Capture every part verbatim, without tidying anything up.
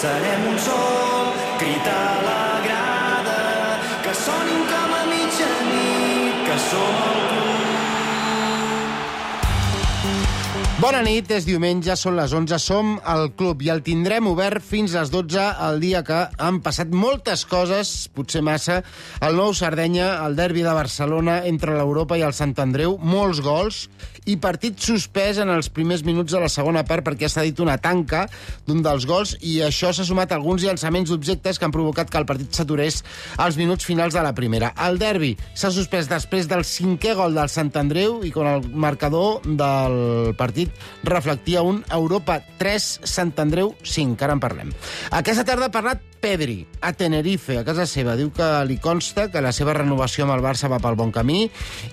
Serem un sol, cridar a la grada, que sonin com a mitjanit, que som el club. Bona nit, és diumenge, són les onze, som al club i el tindrem obert fins a les dotze, el dia que han passat moltes coses, potser massa, el nou Sardenya, el derbi de Barcelona entre l'Europa i el Sant Andreu, molts gols i partit suspès en els primers minuts de la segona part perquè s'ha dit una tanca d'un dels gols i això s'ha sumat a alguns llançaments d'objectes que han provocat que el partit s'aturés als minuts finals de la primera. El derbi s'ha suspès després del cinquè gol del Sant Andreu i quan el marcador del partit reflectia un Europa tres, Sant Andreu cinc, ara en parlem. Aquesta tarda ha parlat Pedri, a Tenerife, a casa seva. Diu que li consta que la seva renovació amb el Barça va pel bon camí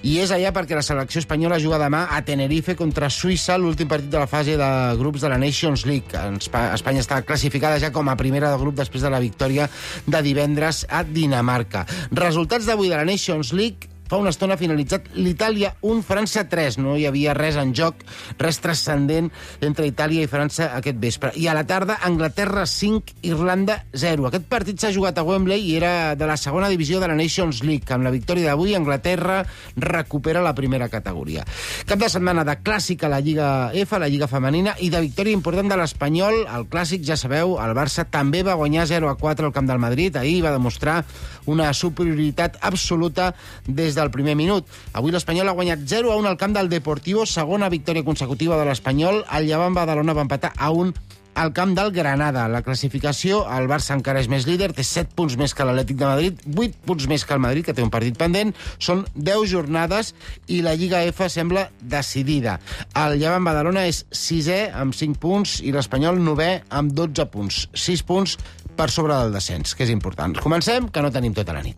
i és allà perquè la selecció espanyola juga demà a Tenerife contra Suïssa, l'últim partit de la fase de grups de la Nations League. Espanya està classificada ja com a primera de grup després de la victòria de divendres a Dinamarca. Resultats d'avui de la Nations League. Fa una estona finalitzat l'Itàlia un, França tres. No hi havia res en joc, res transcendent entre Itàlia i França aquest vespre. I a la tarda, Anglaterra cinc, Irlanda zero. Aquest partit s'ha jugat a Wembley i era de la segona divisió de la Nations League. Amb la victòria d'avui, Anglaterra recupera la primera categoria. Cap de setmana de clàssic a la Lliga F, la Lliga Femenina, i de victòria important de l'Espanyol. El clàssic, ja sabeu, el Barça també va guanyar zero a quatre al camp del Madrid. Ahir va demostrar una superioritat absoluta des del primer minut. Avui l'Espanyol ha guanyat zero a un al camp del Deportivo, segona victòria consecutiva de l'Espanyol. El Llevant Badalona va empatar a un al camp del Granada. La classificació, el Barça encara és més líder, té set punts més que l'Atlètic de Madrid, vuit punts més que el Madrid, que té un partit pendent. Són deu jornades i la Lliga F sembla decidida. El Llevant Badalona és sisè amb cinc punts i l'Espanyol novè amb dotze punts. sis punts per sobre del descens, que és important. Comencem, que no tenim tota la nit.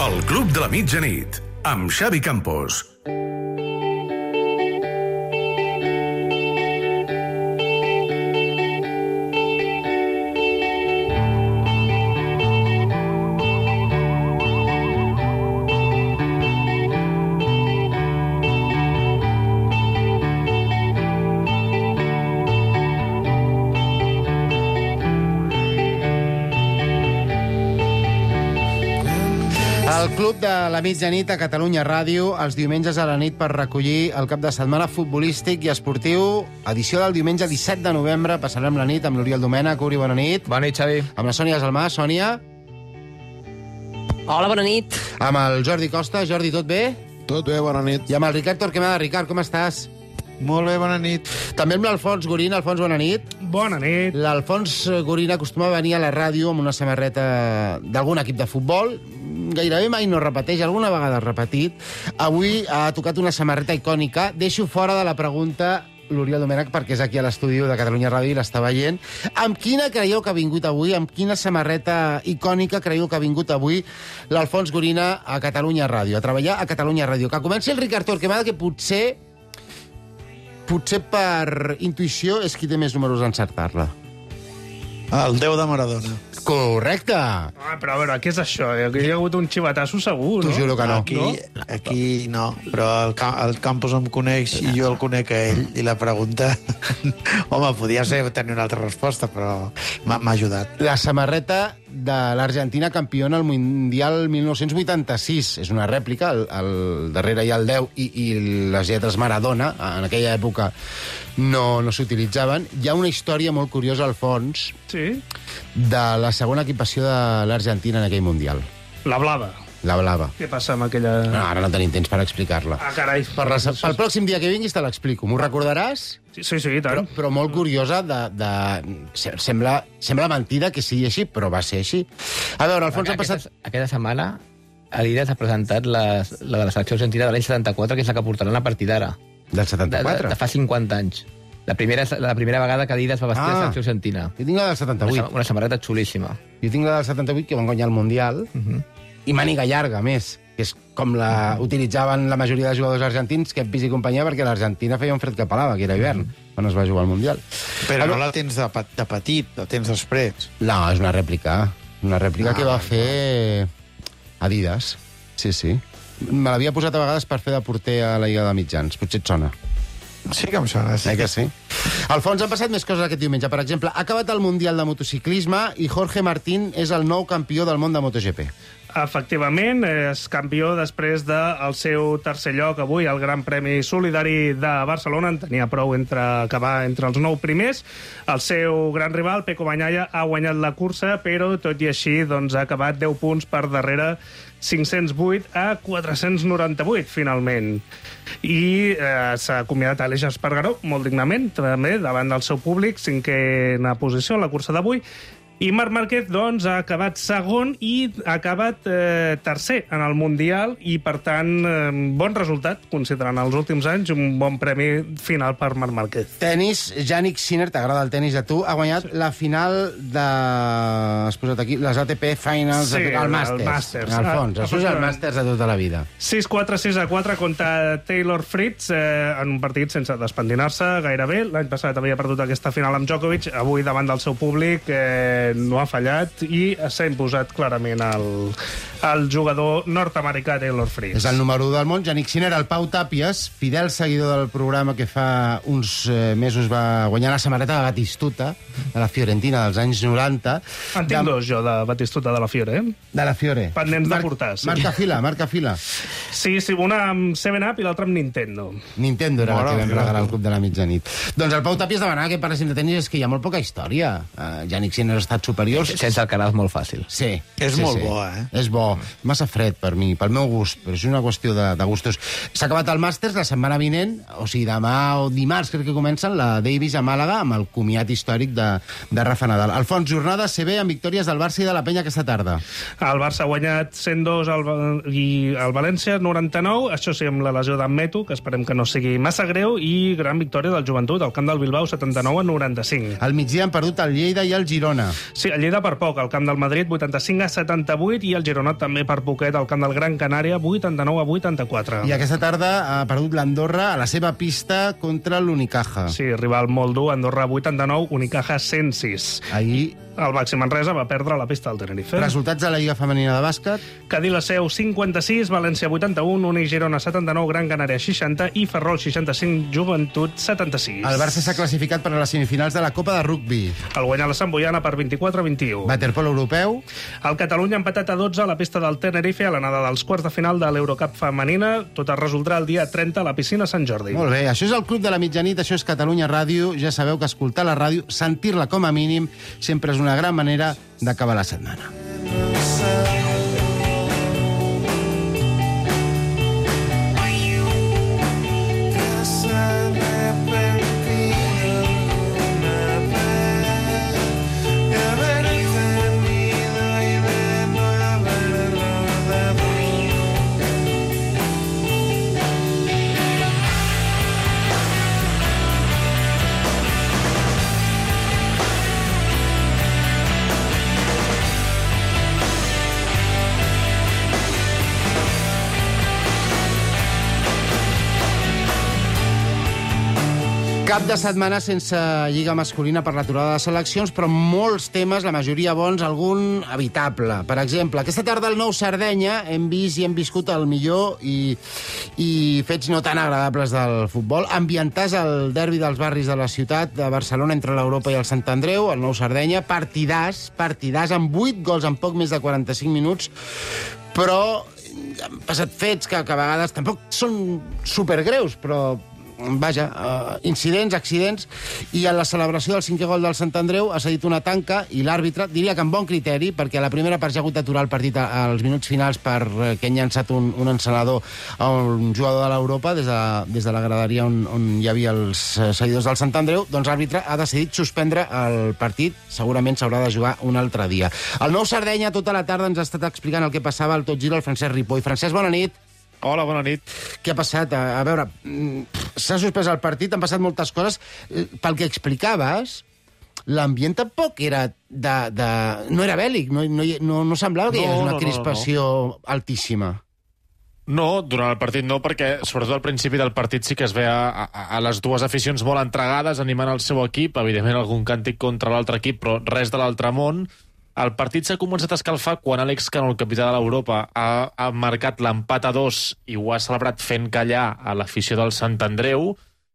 El Club de la Mitjanit, amb Xavi Campos. El Club de la Mitjanit a Catalunya Ràdio, els diumenges a la nit per recollir el cap de setmana futbolístic i esportiu. Edició del diumenge disset de novembre. Passarem la nit amb l'Oriol Domènech. Uri, bona nit. Bona nit, Xavi. Amb la Sònia Salmà. Sònia. Hola, bona nit. Amb el Jordi Costa. Jordi, tot bé? Tot bé, bona nit. I amb el Ricard Torquemada. Ricard, com estàs? Molt bé, bona nit. També amb l'Alfons Gorín. Alfons, bona nit. Bona nit. L'Alfons Gorín acostuma a venir a la ràdio amb una samarreta d'algun equip de futbol. Gairebé mai no repeteix, alguna vegada ha repetit. Avui ha tocat una samarreta icònica. Deixo fora de la pregunta l'Oriol Domènech, perquè és aquí a l'estudi de Catalunya Ràdio i l'està veient. Amb quina creieu que ha vingut avui? Amb quina samarreta icònica creieu que ha vingut avui l'Alfons Gorina a Catalunya Ràdio, a treballar a Catalunya Ràdio? Que comenci el Ricard Torquemada, que potser, potser per intuïció és qui té més números d'encertar-la. El déu de Maradona. Correcte! Ah, però a veure, què és això? Aquí hi ha hagut un xivatasso segur, no? T'ho juro que no. Aquí No? no, aquí no però el, el Campos em coneix i jo el conec a ell, i la pregunta... Home, podia ser tenir una altra resposta, però m'ha m'ha ajudat. La samarreta de l'Argentina campiona al Mundial mil nou-cents vuitanta-sis. És una rèplica, al, al darrere hi ha el deu i, i les lletres Maradona. En aquella època no, no s'utilitzaven. Hi ha una història molt curiosa al fons Sí? de la segona equipació de l'Argentina en aquell Mundial. La blava. La blava. Què passa amb aquella... No, ara no tenim temps per explicar-la. Ah, carai. Per la, el pròxim dia que vinguis te l'explico. M'ho recordaràs? Sí, sí, sí, i Però, tant. però molt curiosa de... de se- sembla, sembla mentida que sigui així, però va ser així. A veure, Alfons, ha Aquesta, passat... aquesta setmana Adidas ha presentat la, la de la selecció argentina de l'any setanta-quatre, que és la que portaran a partir d'ara. Del De, de, setanta-quatre? de fa cinquanta anys. La primera, la primera vegada que Adidas va vestir Ah. la selecció argentina. Jo tinc la del Una, setanta-vuit. sa- una samarreta xulíssima. Jo tinc la del setanta-vuit, que van guanyar el Mundial, Uh -huh. i màniga llarga, a més, que és com la utilitzaven la majoria de jugadors argentins, que pis i companyia, perquè l'Argentina feia un fred que pelava, que era hivern, quan es va jugar al Mundial. Però Ah, no la tens de, pe- de petit, la tens després. No, és una rèplica. Una rèplica Ah, que va val, fer Adidas. Sí, sí. Me l'havia posat a vegades per fer de porter a la Lliga de Mitjans. Potser et sona. Sí que em sona, sí. Eh que sí? Alfons, han passat més coses aquest diumenge. Per exemple, ha acabat el Mundial de Motociclisme i Jorge Martín és el nou campió del món de MotoGP. Efectivament, és campió després del seu tercer lloc avui al Gran Premi Solidari de Barcelona. En tenia prou entre acabar entre els nou primers. El seu gran rival, Pecco Bagnaia, ha guanyat la cursa, però tot i així doncs, ha acabat deu punts per darrere, cinc-cents vuit a quatre-cents noranta-vuit, finalment. I eh, s'ha acomiadat Aleix Espargaró, molt dignament, també, davant del seu públic, cinquena posició en la cursa d'avui. I Marc Márquez, doncs, ha acabat segon i ha acabat eh, tercer en el Mundial i, per tant, eh, bon resultat, considerant els últims anys, un bon premi final per Marc Márquez. Tenis, Jannik Sinner, t'agrada el tenis a tu, ha guanyat la final de... Has posat aquí, les A T P Finals, Sí, el Masters. el Masters. En el fons, Ah, això és el Masters de tota la vida. sis quatre, sis a quatre contra Taylor Fritz eh, en un partit sense despentinar-se gairebé. L'any passat havia perdut aquesta final amb Djokovic, avui davant del seu públic eh, no ha fallat i s'ha imposat clarament el, el jugador nord-americà Taylor Fritz. És el número u del món, Jannik Sinner. El Pau Tàpies, fidel seguidor del programa que fa uns eh, mesos va guanyar la samarreta de Batistuta, de la Fiorentina dels anys noranta. En tinc dos, jo, de Batistuta de la Fiore. Eh? De la Fiore. Pendents de portar, sí. Marca fila, marca fila. Sí, sí, una amb seven up i l'altra amb Nintendo. Nintendo era Mora, la que vam mira. regalar al Club de la Mitjanit. Doncs el Pau Tàpies demanava que parlessin de tenis, és que hi ha molt poca història. Uh, Jannik Sinner ha estat superior. Sense el canal és molt fàcil. Sí. És sí, molt sí. bo, eh? És bo. Massa fred per mi, pel meu gust, però és una qüestió de, de gustos. S'ha acabat el Masters la setmana vinent, o sigui, demà o dimarts crec que comencen, la Davis a Màlaga, amb el comiat històric de, de Rafa Nadal. Alfons, jornada C B amb victòries del Barça i de la Penya aquesta tarda. El Barça ha guanyat cent dos al, i el València noranta-nou, això sí, amb la lesió d'en Meto, que esperem que no sigui massa greu, i gran victòria del Joventut, al camp del Bilbao, setanta-nou a noranta-cinc. Al migdia han perdut el Lleida i el Girona. Sí, el Lleida per poc, al camp del Madrid, vuitanta-cinc a setanta-vuit, i el Girona també per poquet, al camp del Gran Canària, vuitanta-nou a vuitanta-quatre. I aquesta tarda ha perdut l'Andorra a la seva pista contra l'Unicaja. Sí, rival molt dur, Andorra vuitanta-nou, Unicaja cent sis. Ahir, El Baxi Manresa va perdre la pista del Tenerife. resultats de la Lliga Femenina de Bàsquet. Cadí la Seu cinquanta-sis, València vuitanta-un, Uni Girona setanta-nou, Gran Canària seixanta i Ferrol seixanta-cinc, Joventut setanta-sis. El Barça s'ha classificat per a les semifinals de la Copa de Rugbi. El guanyà la Sant Boiana per vint-i-quatre a vint-i-u. Waterpolo europeu. El Catalunya ha empatat a dotze a la pista del Tenerife a l'anada dels quarts de final de l'Eurocup femenina. Tot es resoldrà el dia trenta a la piscina Sant Jordi. Molt bé, això és el Club de la Mitjanit, això és Catalunya Ràdio. Ja sabeu que escoltar la ràdio, sentir-la com a mínim, sempre és una gran manera d'acabar la setmana. Cap de setmana sense lliga masculina per l'aturada de seleccions, però molts temes, la majoria bons, algun evitable. Per exemple, aquesta tarda al Nou Sardenya hem vist i hem viscut el millor i, i fets no tan agradables del futbol. Ambientars al derbi dels barris de la ciutat de Barcelona entre l'Europa i el Sant Andreu, el Nou Sardenya, partidàs, partidàs, amb vuit gols en poc més de quaranta-cinc minuts, però han passat fets que, que a vegades tampoc són supergreus, però vaja, uh, incidents, accidents, i a la celebració del cinquè gol del Sant Andreu ha cedit una tanca i l'àrbitre, diria que amb bon criteri, perquè a la primera part ja ha hagut d'aturar el partit als minuts finals perquè han llançat un, un encenedor a un jugador de l'Europa des de, des de la graderia on, on hi havia els seguidors del Sant Andreu, doncs l'àrbitre ha decidit suspendre el partit, segurament s'haurà de jugar un altre dia. El Nou Sardenya tota la tarda ens ha estat explicant el que passava al Tot Gira el Francesc Ripoll. Francesc, bona nit. Hola, bona nit. Què ha passat? A, a veure, s'ha suspès el partit, han passat moltes coses. Pel que explicaves, l'ambient tampoc era de... de... no era bèl·lic, no, no, no, no semblava que hi No, hagués una no, no, crispació altíssima. No, durant el partit no, perquè sobretot al principi del partit sí que es veia a, a, a les dues aficions molt entregades, animant el seu equip, evidentment algun càntic contra l'altre equip, però res de l'altre món. El partit s'ha començat a escalfar quan Àlex Cano, el capità de l'Europa, ha, ha marcat l'empat a dos i ho ha celebrat fent callar a l'afició del Sant Andreu,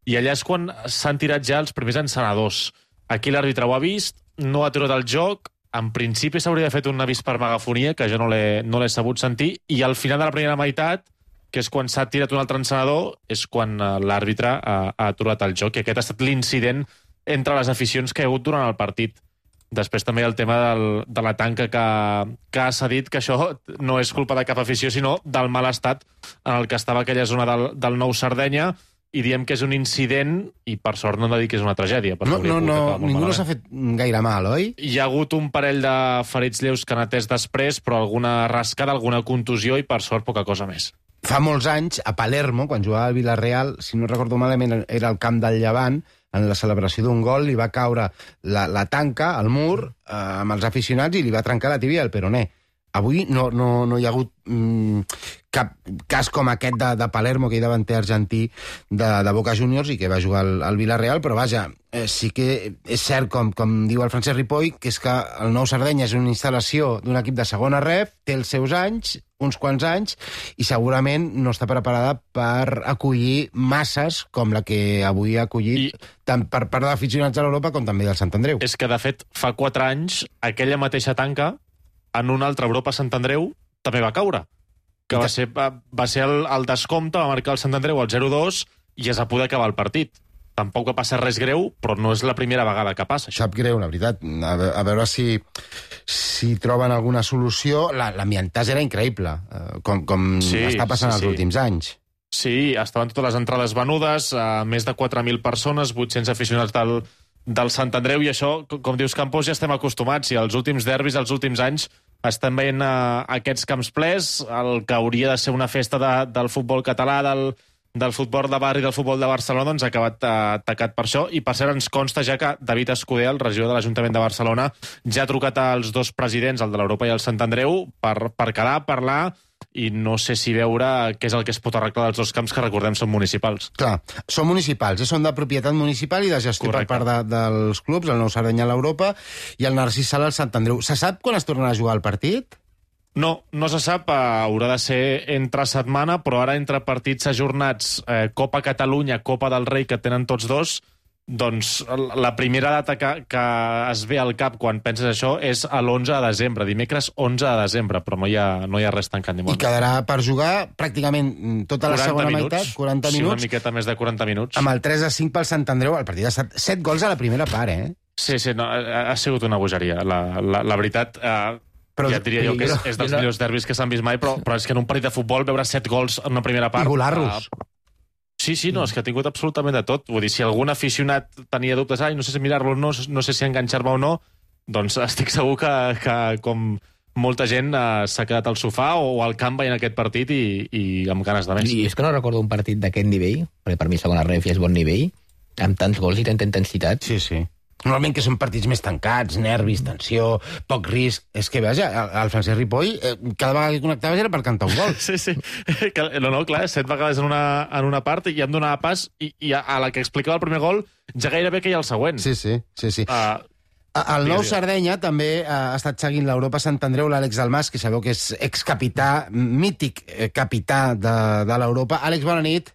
i allà és quan s'han tirat ja els primers encenedors. Aquí l'àrbitre ho ha vist, no ha aturat el joc, en principi s'hauria fet un avís per megafonia, que jo no l'he no l'he sabut sentir, i al final de la primera meitat, que és quan s'ha tirat un altre encenedor, és quan l'àrbitre ha, ha aturat el joc, i aquest ha estat l'incident entre les aficions que hi ha hagut durant el partit. Després també hi ha el tema del, de la tanca que, que ha cedit, que això no és culpa de cap afició, sinó del mal estat en el que estava aquella zona del, del Nou Sardenya, i diem que és un incident, i per sort no hem de dir que és una tragèdia. No, no, no, ningú no s'ha fet gaire mal, oi? Hi ha hagut un parell de ferits lleus que han atès després, però alguna rascada, alguna contusió, i per sort poca cosa més. Fa molts anys, a Palermo, quan jugava al Villarreal, si no recordo malament, era el camp del Llevant, en la celebració d'un gol li va caure la, la tanca, al mur, eh, amb els aficionats, i li va trencar la tibia al peroné. Avui no, no, no hi ha hagut mm, cap cas com aquest de, de Palermo, que hi davanter argentí de, de Boca Juniors i que va jugar al, al Villarreal, però vaja, eh, sí que és cert, com, com diu el Francesc Ripoll, que és que el Nou Sardenya és una instal·lació d'un equip de segona ref, té els seus anys, uns quants anys, i segurament no està preparada per acollir masses com la que avui ha acollit, I... tant per part d'aficionats a l'Europa com també del Sant Andreu. És que, de fet, fa quatre anys, aquella mateixa tanca, en una altra Europa Sant Andreu, també va caure. Que va ser, va, va ser el, el descompte, va marcar el Sant Andreu al zero dos i es va poder acabar el partit. Tampoc va passar res greu, però no és la primera vegada que passa. Sap greu, la veritat. A, a veure si, si troben alguna solució. L'ambientàs era increïble, com, com sí, està passant sí, els sí. últims anys. Sí, estaven totes les entrades venudes, a més de quatre mil persones, vuit-cents aficionats del, del Sant Andreu, i això, com dius, Campos, ja estem acostumats, i els últims derbis, els últims anys, estem veient uh, aquests camps plens, el que hauria de ser una festa de, del futbol català, del, del futbol de barri, del futbol de Barcelona, doncs ha acabat uh, tacat per això, i per cert ens consta ja que David Escudé, el regidor de l'Ajuntament de Barcelona, ja ha trucat als dos presidents, el de l'Europa i el Sant Andreu, per, per quedar, parlar, i no sé si veure què és el que es pot arreglar dels dos camps, que recordem són municipals. Clar, són municipals, eh? Són de propietat municipal i de gestió Correcte. Per part de, dels clubs, el Nou Sardenya a l'Europa i el Narcís Sala al Sant Andreu. Se sap quan es tornarà a jugar el partit? No, no se sap, eh, haurà de ser entre setmana, però ara entre partits ajornats, eh, Copa Catalunya, Copa del Rei, que tenen tots dos, doncs la primera data que, que es ve al cap quan penses això és l'onze de desembre, dimecres onze de desembre, però no hi ha, no hi ha res tancat ni molt. I quedarà per jugar pràcticament tota la segona minuts, meitat, quaranta minuts. Sí, una miqueta més de quaranta minuts. Amb el tres a cinc pel Sant Andreu, el partit ha estat set gols a la primera part, eh? Sí, sí, no, ha, ha sigut una bogeria. La, la, la veritat, eh, però, ja et diria jo que és, és dels no... millors derbis que s'han vist mai, però, però és que en un partit de futbol veure set gols en una primera part... I golar-los. Eh, Sí, sí, no, és que ha tingut absolutament de tot. Vull dir, si algun aficionat tenia dubtes, ai, no sé si mirar-lo o no, no sé si enganxar-me o no, doncs estic segur que, que com molta gent eh, s'ha quedat al sofà o al camp veient aquest partit i, i amb ganes de més. I és que no recordo un partit d'aquest nivell, perquè per mi segona ref ja és bon nivell, amb tants gols i tanta intensitat. Sí, sí. Normalment que són partits més tancats, nervis, tensió, poc risc. És que, vaja, el Francesc Ripoll, eh, cada vegada que connectaves era per cantar un gol. Sí, sí. No, no, clar, set vegades en una, en una part i em donava pas, i, i a, a la que explicava el primer gol ja gairebé que hi ha el següent. Sí, sí, sí, sí. Uh, el Nou Sardenya també ha estat seguint l'Europa Sant Andreu, l'Àlex Dalmas, que sabeu que és excapità, mític capità de, de l'Europa. Àlex, bona nit.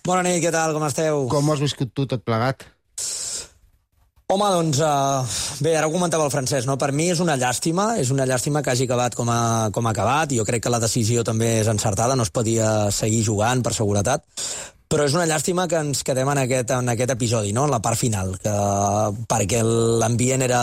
Bona nit, què tal, com esteu? Com ho has viscut tu tot plegat? Home, doncs, uh, bé, ara ho comentava el Francesc, no? Per mi és una llàstima, és una llàstima que hagi acabat com ha, com ha acabat, i jo crec que la decisió també és encertada, no es podia seguir jugant per seguretat, però és una llàstima que ens quedem en aquest, en aquest episodi, no? En la part final, que, perquè l'ambient era,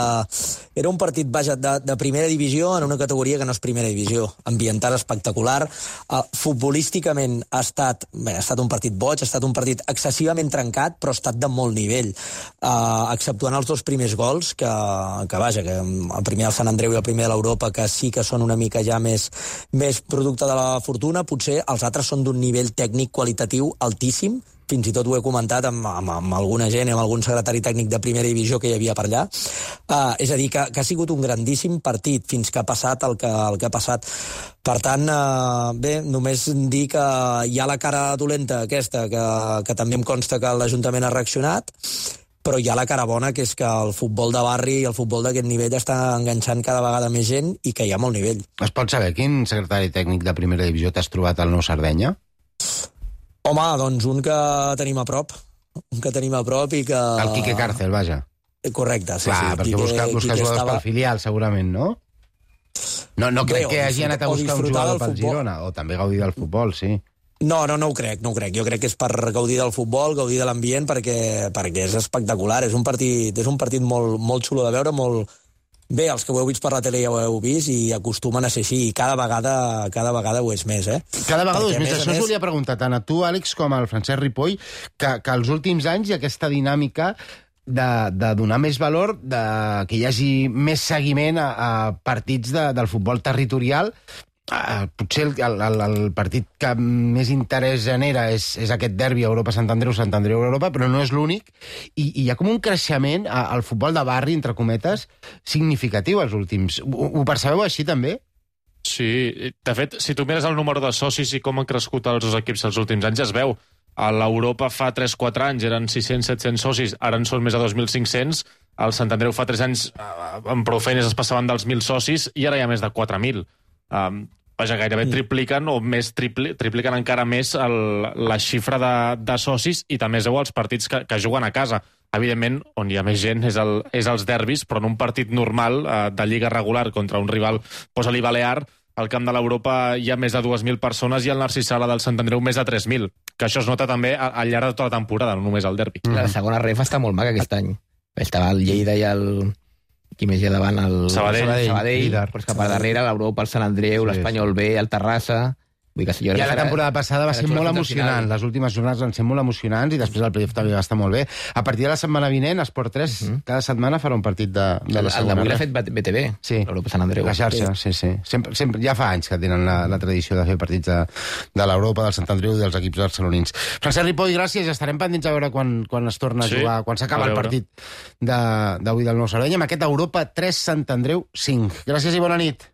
era un partit, vaja, de, de primera divisió en una categoria que no és primera divisió, ambientat espectacular, uh, futbolísticament ha estat, bé, ha estat un partit boig, ha estat un partit excessivament trencat, però ha estat de molt nivell, uh, exceptuant els dos primers gols, que, que vaja, que el primer del Sant Andreu i el primer de l'Europa, que sí que són una mica ja més, més producte de la fortuna, potser els altres són d'un nivell tècnic qualitatiu altíssim, fins i tot ho he comentat amb, amb, amb alguna gent, amb algun secretari tècnic de primera divisió que hi havia per allà. Uh, és a dir, que, que ha sigut un grandíssim partit fins que ha passat el que, el que ha passat. Per tant, uh, bé, només dir que hi ha la cara dolenta aquesta, que, que també em consta que l'Ajuntament ha reaccionat, però hi ha la cara bona, que és que el futbol de barri i el futbol d'aquest nivell està enganxant cada vegada més gent i que hi ha molt nivell. Es pot saber quin secretari tècnic de primera divisió t'has trobat al Nou Sardenya? Home, doncs un que tenim a prop, un que tenim a prop i que... El Quique Cárcel, vaja. Correcte, sí, Clar, sí. perquè Quique, busca, busca Quique jugadors estava... pel filial, segurament, no? No, no crec Bé, que hagi anat a o buscar un disfrutar jugador del pel futbol. Girona, o també gaudir del futbol, sí. No, no, no ho crec, no ho crec. Jo crec que és per gaudir del futbol, gaudir de l'ambient, perquè, perquè és espectacular. És un partit, és un partit molt, molt xulo de veure, molt... Bé, els que ho heu vist per la tele ja ho heu vist i acostumen a ser així, i cada vegada, cada vegada ho és més, eh? Cada vegada ho és Perquè, més. a més a Això us més- volia preguntar tant a tu, Àlex, com al Francesc Ripoll, que, que els últims anys hi ha aquesta dinàmica de, de donar més valor, de que hi hagi més seguiment a, a partits de, del futbol territorial. Uh, potser el, el, el partit que més interès genera és, és aquest derbi Europa-Sant Andreu, Sant Andreu-Europa, però no és l'únic, i, i hi ha com un creixement a, al futbol de barri, entre cometes, significatiu els últims. Ho, ho percebeu així, també? Sí, de fet, si tu mires el número de socis i com han crescut els dos equips els últims anys, ja es veu. A l'Europa fa tres quatre anys eren sis-cents set-cents socis, ara en són més de dos mil cinc-cents. Al Sant Andreu fa tres anys, amb prou feines es passaven dels mil socis, i ara hi ha més de quatre mil. Um, vaja, gairebé tripliquen, o més tripli, tripliquen encara més el, la xifra de, de socis, i també es veu els partits que, que juguen a casa. Evidentment, on hi ha més gent és, el, és els derbis, però en un partit normal eh, de lliga regular contra un rival, posa-li Balear, al camp de l'Europa hi ha més de dues mil persones i al Narcís Sala del Sant Andreu més de tres mil, que això es nota també al llarg de tota la temporada, no només al derbi. La segona ref està molt maca aquest any. Estava el Lleida i el... Qui més hi ha davant? El Sabadell. Sabadell, Sabadell. Sabadell però és que per darrere l'Europa, el Sant Andreu, Sí, l'Espanyol B, el Terrassa... Vull que, jo crec Ja que la serà- temporada passada va serà ser molt xulo fins al emocionant. final. Les últimes jornades van ser molt emocionants i després el playoff també va estar molt bé. A partir de la setmana vinent, Esport tres, uh -huh. cada setmana farà un partit de, de la El segona. d'avui l'ha ref. fet B T V, Sí. l'Europa Sant Andreu. La xarxa, sí, sí. Sempre, sempre, ja fa anys que tenen la, la tradició de fer partits de, de l'Europa, del Sant Andreu i dels equips barcelonins. Francesc Ripoll, gràcies. Estarem pendents a veure quan, quan es torna Sí, a jugar, quan s'acaba a el veure. partit de- d'avui del Nou Sardenya, amb aquest Europa tres, Sant Andreu cinc. Gràcies i bona nit.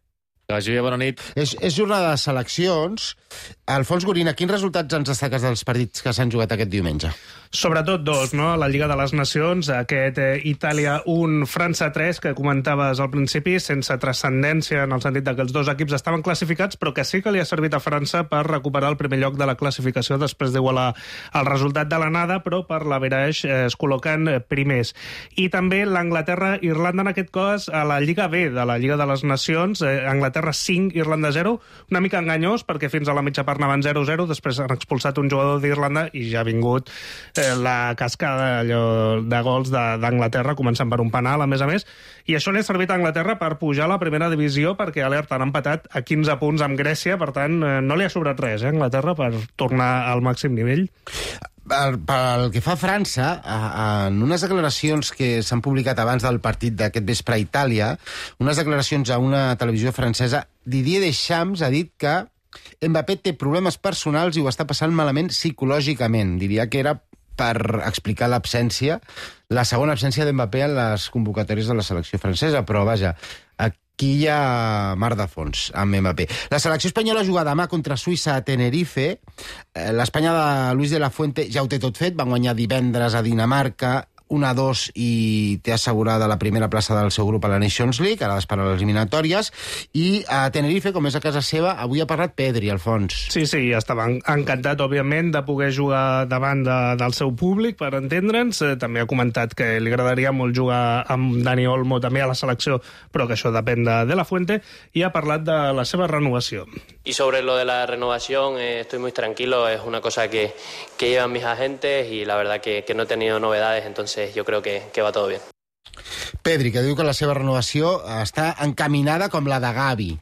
Que vagi bé, bona nit. És, és jornada de seleccions. Alfons Gorina, quins resultats ens destaques dels partits que s'han jugat aquest diumenge? Sobretot dos, no? La Lliga de les Nacions, aquest eh, Itàlia un, França tres, que comentaves al principi, sense transcendència en el sentit de que els dos equips estaven classificats, però que sí que li ha servit a França per recuperar el primer lloc de la classificació després d'igualar el resultat de l'anada, però per l'averaix eh, es col·loquen eh, primers. I també l'Anglaterra-Irlanda, en aquest cas, a la Lliga B de la Lliga de les Nacions, eh, Anglaterra cinc, Irlanda zero, una mica enganyós, perquè fins a la mitja part anaven zero zero, després han expulsat un jugador d'Irlanda i ja ha vingut eh, la cascada allò, de gols de- d'Anglaterra, començant per un penal, a més a més, i això li ha servit a Anglaterra per pujar a la primera divisió, perquè alerta, han empatat a quinze punts amb Grècia, per tant, eh, no li ha sobrat res, eh, a Anglaterra, per tornar al màxim nivell. Per, pel que fa a França, a, a, en unes declaracions que s'han publicat abans del partit d'aquest vespre a Itàlia, unes declaracions a una televisió francesa, Didier Deschamps ha dit que Mbappé té problemes personals i ho està passant malament psicològicament. Diria que era per explicar l'absència, la segona absència d'Mbappé en les convocatòries de la selecció francesa, però vaja, aquí hi ha mar de fons amb Mbappé. La selecció espanyola juga demà contra Suïssa a Tenerife. Eh, L'Espanya de Luis de la Fuente ja ho té tot fet, van guanyar divendres a Dinamarca un a dos i té assegurada la primera plaça del seu grup a la Nations League, ara d'esperar les eliminatòries, i a Tenerife, com és a casa seva, avui ha parlat Pedri, Alfons. Sí, sí, estava encantat, òbviament, de poder jugar davant de, del seu públic, per entendre'ns. Eh, També ha comentat que li agradaria molt jugar amb Dani Olmo també a la selecció, però que això depèn de, de la Fuente, i ha parlat de la seva renovació. Y sobre lo de la renovación, eh, estoy muy tranquilo, es una cosa que, que llevan mis agentes y la verdad que, que no he tenido novedades, entonces yo creo que, que va todo bien. Pedri, que diu que la seva renovació està encaminada com la de Gavi.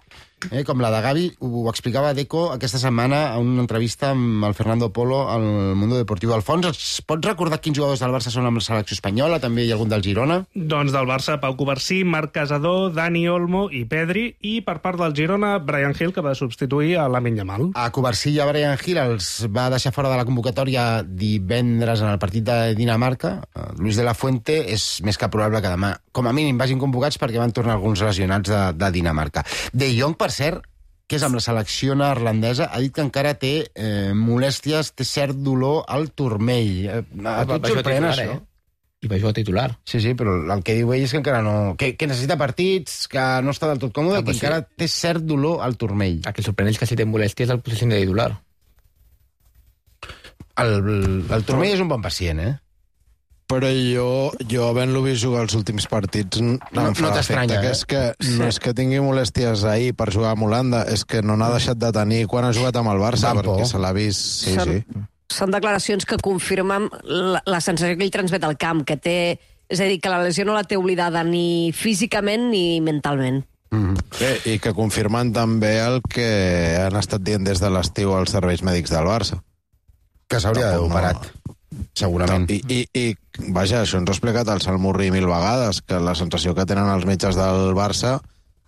Eh, com la de Gavi, ho explicava Deco aquesta setmana a una entrevista amb el Fernando Polo al Mundo Deportivo. Alfons, es pots recordar quins jugadors del Barça són amb la selecció espanyola? També hi ha algun del Girona? Doncs del Barça, Pau Covarsí, Marc Casador, Dani Olmo i Pedri, i per part del Girona, Brian Hill, que va substituir a Lamine Yamal. A Covarsí i a Brian Hill els va deixar fora de la convocatòria divendres en el partit de Dinamarca. Luis de la Fuente és més que probable que demà, com a mínim, vagin convocats perquè van tornar alguns lesionats de, de Dinamarca. De Jong, per cert, que és amb la selecció neerlandesa, ha dit que encara té eh, molèsties, té cert dolor al turmell. Eh, a tu et sorprèn, això? i va jugar titular. Sí, sí, però el que diu ell és que encara no... Que, que necessita partits, que no està del tot còmode, ah, que sí. encara té cert dolor al turmell. El que sorprèn és que si té molèstia és el posició de titular. El, el turmell és un bon pacient, eh? Però jo, jo havent-lo vist jugar els últims partits, no, em fa no t'estranya, que eh? és que no és que tingui molèsties ahir per jugar amb Holanda, és que no n'ha deixat de tenir quan ha jugat amb el Barça, Van perquè por. se l'ha vist... Sí, Són- sí. Són declaracions que confirmen la, la sensació que ell transmet al camp, que té... És a dir, que la lesió no la té oblidada ni físicament ni mentalment. Mm-hmm. Eh, I que confirmen també el que han estat dient des de l'estiu als serveis mèdics del Barça. Que s'hauria d'haver No. operat, segurament. I, i, I, vaja, això ens ho ha explicat el Salmurri mil vegades, que la sensació que tenen els metges del Barça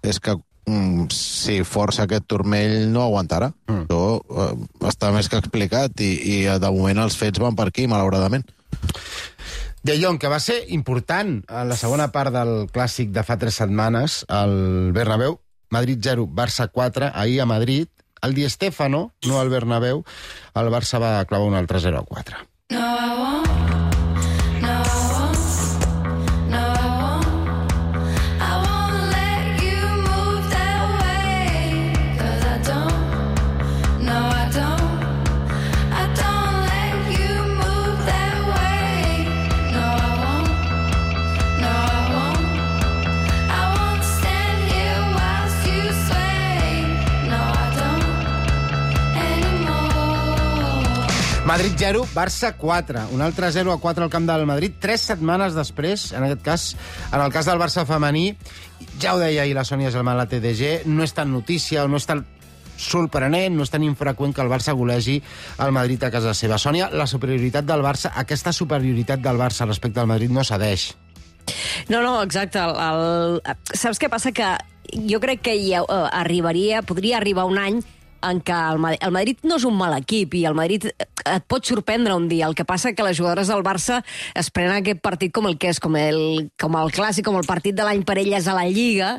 és que mm, si força aquest turmell no aguantarà. Mm. Això eh, està més que explicat i, i de moment els fets van per aquí, malauradament. De Jong, que va ser important a la segona part del clàssic de fa tres setmanes, al Bernabéu, Madrid zero, Barça quatre, ahir a Madrid, al Di Stéfano, no al Bernabéu, el Barça va clavar un altre zero a quatre. No, I won't. No, I won't. No, I won't. I won't let you move that way. 'Cause I don't. No, I don't. I don't let you move that way. No, I won't. No, I won't. I won't stand here whilst you sway. No, I don't anymore. Madrid zero, Barça quatre. Un altre zero a quatre al camp del Madrid, tres setmanes després, en aquest cas, en el cas del Barça femení, ja ho deia ahir la Sònia Gelman a la T D G, no és tan notícia o no és tan sorprenent, no és tan infreqüent que el Barça golegi el Madrid a casa seva. Sònia, la superioritat del Barça, aquesta superioritat del Barça respecte al Madrid no cedeix. No, no, exacte. El, el... Saps què passa? Que jo crec que hi ha, uh, arribaria, podria arribar un any en què el Madrid, el Madrid no és un mal equip i el Madrid et pot sorprendre un dia. El que passa que les jugadores del Barça es prenen aquest partit com el que és, com el, com el clàssic, com el partit de l'any per elles a la Lliga,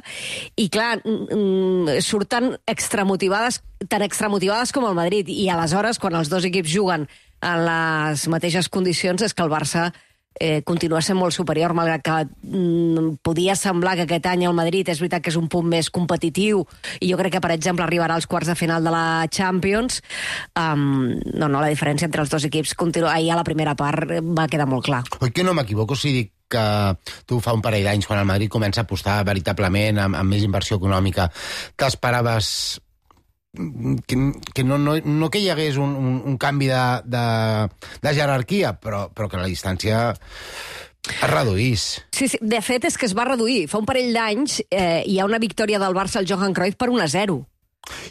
i clar, mm, surten extramotivades, tan extramotivades com el Madrid, i aleshores, quan els dos equips juguen en les mateixes condicions, és que el Barça Eh, continua sent molt superior, malgrat que mm, podia semblar que aquest any el Madrid és veritat que és un punt més competitiu i jo crec que, per exemple, arribarà als quarts de final de la Champions. Um, no, no, la diferència entre els dos equips continua, ahir a la primera part va quedar molt clar. Oi que no m'equivoco si dic que tu fa un parell d'anys, quan el Madrid comença a apostar veritablement amb, amb més inversió econòmica, t'esperaves que, que no, no, no que hi hagués un, un, un canvi de, de, de jerarquia, però, però que la distància es reduís. Sí, sí, de fet és que es va reduir. Fa un parell d'anys eh, hi ha una victòria del Barça al Johan Cruyff per un a zero.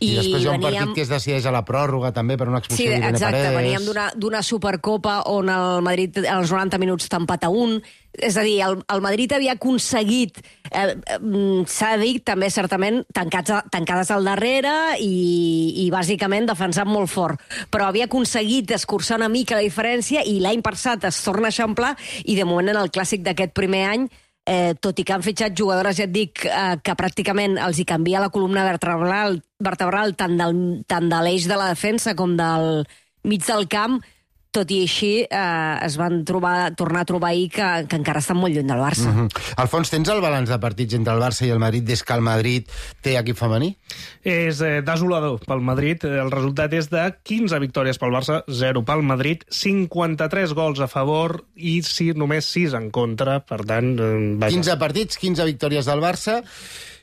I, I després hi ha un veníem... partit que es decideix a la pròrroga també per una expulsió sí, d'Irene exacte, Paredes. veníem d'una, d'una Supercopa on el Madrid als noranta minuts t'empata un. És a dir, el, el Madrid havia aconseguit, eh, s'ha dit també certament, tancats, tancades al darrere i, i bàsicament defensant molt fort. Però havia aconseguit escurçar una mica la diferència i l'any passat es torna a eixamplar i de moment en el clàssic d'aquest primer any, Eh, tot i que han fitxat jugadores, ja et dic, eh, que pràcticament els hi canvia la columna vertebral, vertebral tant, del, tant de l'eix de la defensa com del mig del camp, tot i així eh, es van trobar, tornar a trobar ahir que, que encara estan molt lluny del Barça. Mm-hmm. Alfons, tens el balanç de partits entre el Barça i el Madrid des que el Madrid té equip femení? És eh, desolador pel Madrid. El resultat és de quinze victòries pel Barça, zero pel Madrid, cinquanta-tres gols a favor i sí, només sis en contra. Per tant, eh, vaja. quinze partits, quinze victòries del Barça,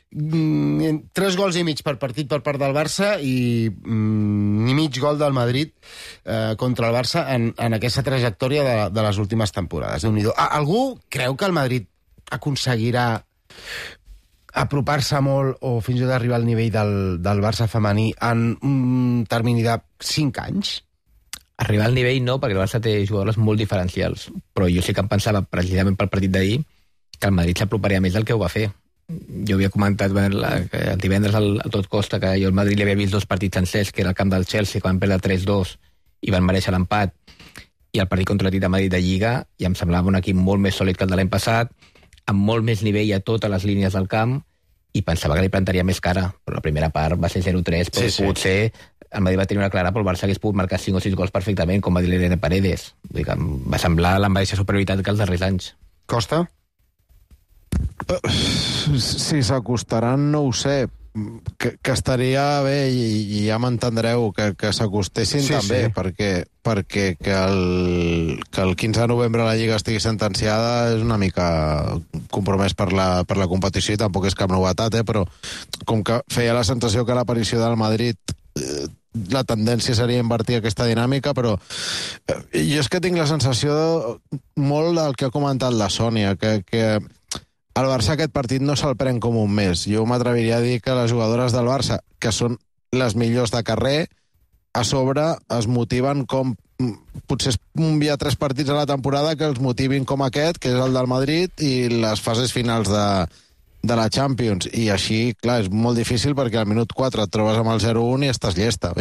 mm, tres gols i mig per partit per part del Barça i mm, ni mig gol del Madrid eh, contra el Barça en, en aquesta trajectòria de, de les últimes temporades. Déu-n'hi-do. Algú creu que el Madrid aconseguirà apropar-se molt o fins i tot arribar al nivell del, del Barça femení en un termini de cinc anys? Arribar al nivell no, perquè el Barça té jugadores molt diferencials, però jo sí que em pensava, precisament pel partit d'ahir, que el Madrid s'aproparia més del que ho va fer. Jo havia comentat bueno, la, que el divendres al, a tot costa que jo al Madrid li havia vist dos partits sencers, que era el camp del Chelsea, que van perdre tres dos i van mereixer l'empat, i el partit contra l'Atlètic de Madrid de Lliga, i em semblava un equip molt més sòlid que el de l'any passat, amb molt més nivell a totes les línies del camp, i pensava que li plantaria més cara, però la primera part va ser zero tres, però sí, potser sí. El Madrid va tenir una clara, però el Barça hagués pogut marcar cinc o sis gols perfectament, com va dir l'Irene Paredes. Vull dir que em va semblar la mateixa superioritat que els darrers anys. Costa? Si s'acostaran, no ho sé. Que, que estaria bé, i, i ja m'entendreu, que, que s'acostessin Sí, també, sí. perquè, perquè que, el, que el quinze de novembre la Lliga estigui sentenciada és una mica compromès per la, per la competició, i tampoc és cap novetat, eh? Però com que feia la sensació que l'aparició del Madrid eh, la tendència seria invertir aquesta dinàmica, però eh, jo és que tinc la sensació de, molt del que ha comentat la Sònia, que, que el Barça aquest partit no se'l pren com un mes. Jo m'atreviria a dir que les jugadores del Barça, que són les millors de carrer, a sobre es motiven com... Potser hi ha tres partits a la temporada que els motivin com aquest, que és el del Madrid, i les fases finals de, de la Champions. I així, clar, és molt difícil perquè al minut quatre et trobes amb el zero un i estàs llesta.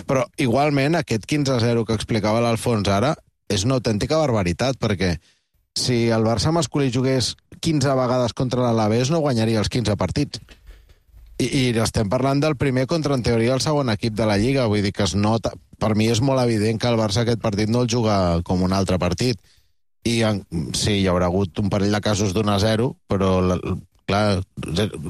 Però igualment aquest quinze a zero que explicava l'Alfons ara és una autèntica barbaritat, perquè si el Barça masculí jugués quinze vegades contra l'Alavés no guanyaria els quinze partits. I, i estem parlant del primer contra, en teoria, el segon equip de la Lliga. Vull dir que es nota... Per mi és molt evident que el Barça aquest partit no el juga com un altre partit. I en, sí, hi haurà hagut un parell de casos d'un a zero, però la, clar,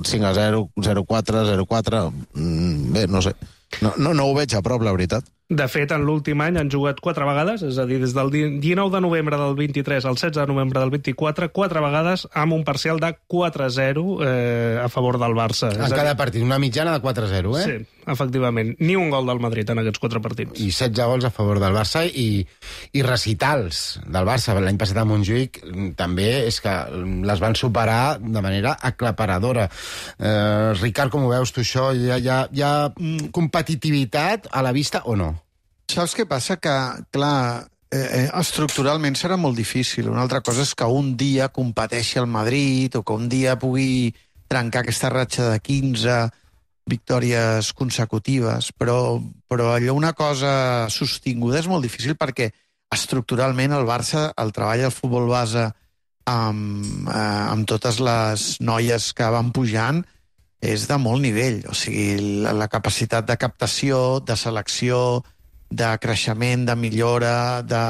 cinc a zero, zero a quatre, zero a quatre... Bé, no sé. No, no, no ho veig a prop, la veritat. De fet, en l'últim any han jugat quatre vegades, és a dir, des del dinou de novembre del vint-i-tres al setze de novembre del vint-i-quatre, quatre vegades amb un parcial de quatre a zero eh, a favor del Barça. En cada partit, una mitjana de quatre a zero, eh? Sí, efectivament. Ni un gol del Madrid en aquests quatre partits. I setze gols a favor del Barça i, i recitals del Barça. L'any passat a Montjuïc també és que les van superar de manera aclaparadora. Eh, Ricard, com ho veus tu això? Hi ha, hi ha, hi ha competitivitat a la vista o no? Saps què passa? Que, clar, eh, estructuralment serà molt difícil. Una altra cosa és que un dia competeixi el Madrid o que un dia pugui trencar aquesta ratxa de quinze victòries consecutives, però, però allò una cosa sostinguda és molt difícil perquè estructuralment el Barça, el treball del futbol base amb, eh, amb totes les noies que van pujant és de molt nivell. O sigui, la, la capacitat de captació, de selecció, de creixement, de millora, de...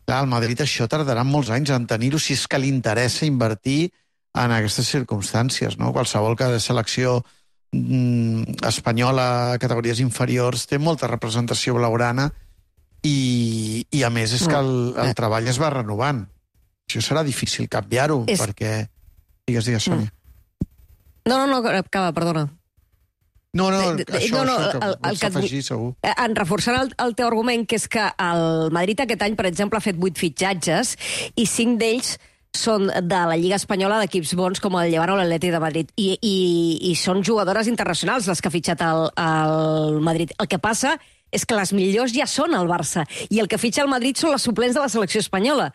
Clar, al Madrid això tardarà molts anys en tenir-ho si és que li interessa invertir en aquestes circumstàncies, no? Qualsevol que de selecció mm, espanyola a categories inferiors té molta representació blaugrana i, i a més és que el, el treball es va renovant. Això serà difícil canviar-ho, és... perquè... Digues, digues, Sònia. No, no, no, acaba, perdona. No, no, De- de- això, no, no, això que el- el vols que et vull- afegir, segur. Eh, En reforçant el, el teu argument, que és que el Madrid aquest any, per exemple, ha fet vuit fitxatges i cinc d'ells són de la Lliga Espanyola d'equips bons com el Llevant o l'Atleti de Madrid. I, i, I són jugadores internacionals les que ha fitxat el, el Madrid. El que passa és que les millors ja són al Barça i el que fitxa el Madrid són les suplents de la selecció espanyola.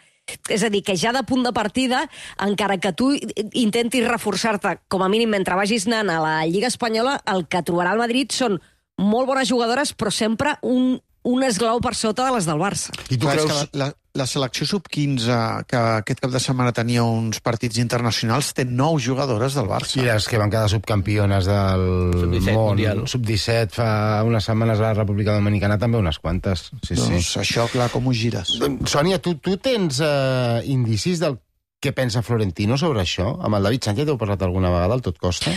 És a dir, que ja de punt de partida, encara que tu intentis reforçar-te, com a mínim mentre vagis anant a la Lliga Espanyola, el que trobarà el Madrid són molt bones jugadores, però sempre un, un esglau per sota de les del Barça. I tu Clar, és creus... que la, la, la selecció sub quinze, que aquest cap de setmana tenia uns partits internacionals, té nou jugadores del Barça. I les que van quedar subcampiones del sub disset món, mundial. sub disset, fa unes setmanes a la República Dominicana, també unes quantes. Sí, Doncs sí. això, clar, com ho gires? Sònia, tu, tu tens eh, indicis del què pensa Florentino sobre això? Amb el David Sánchez heu parlat alguna vegada, al tot costa?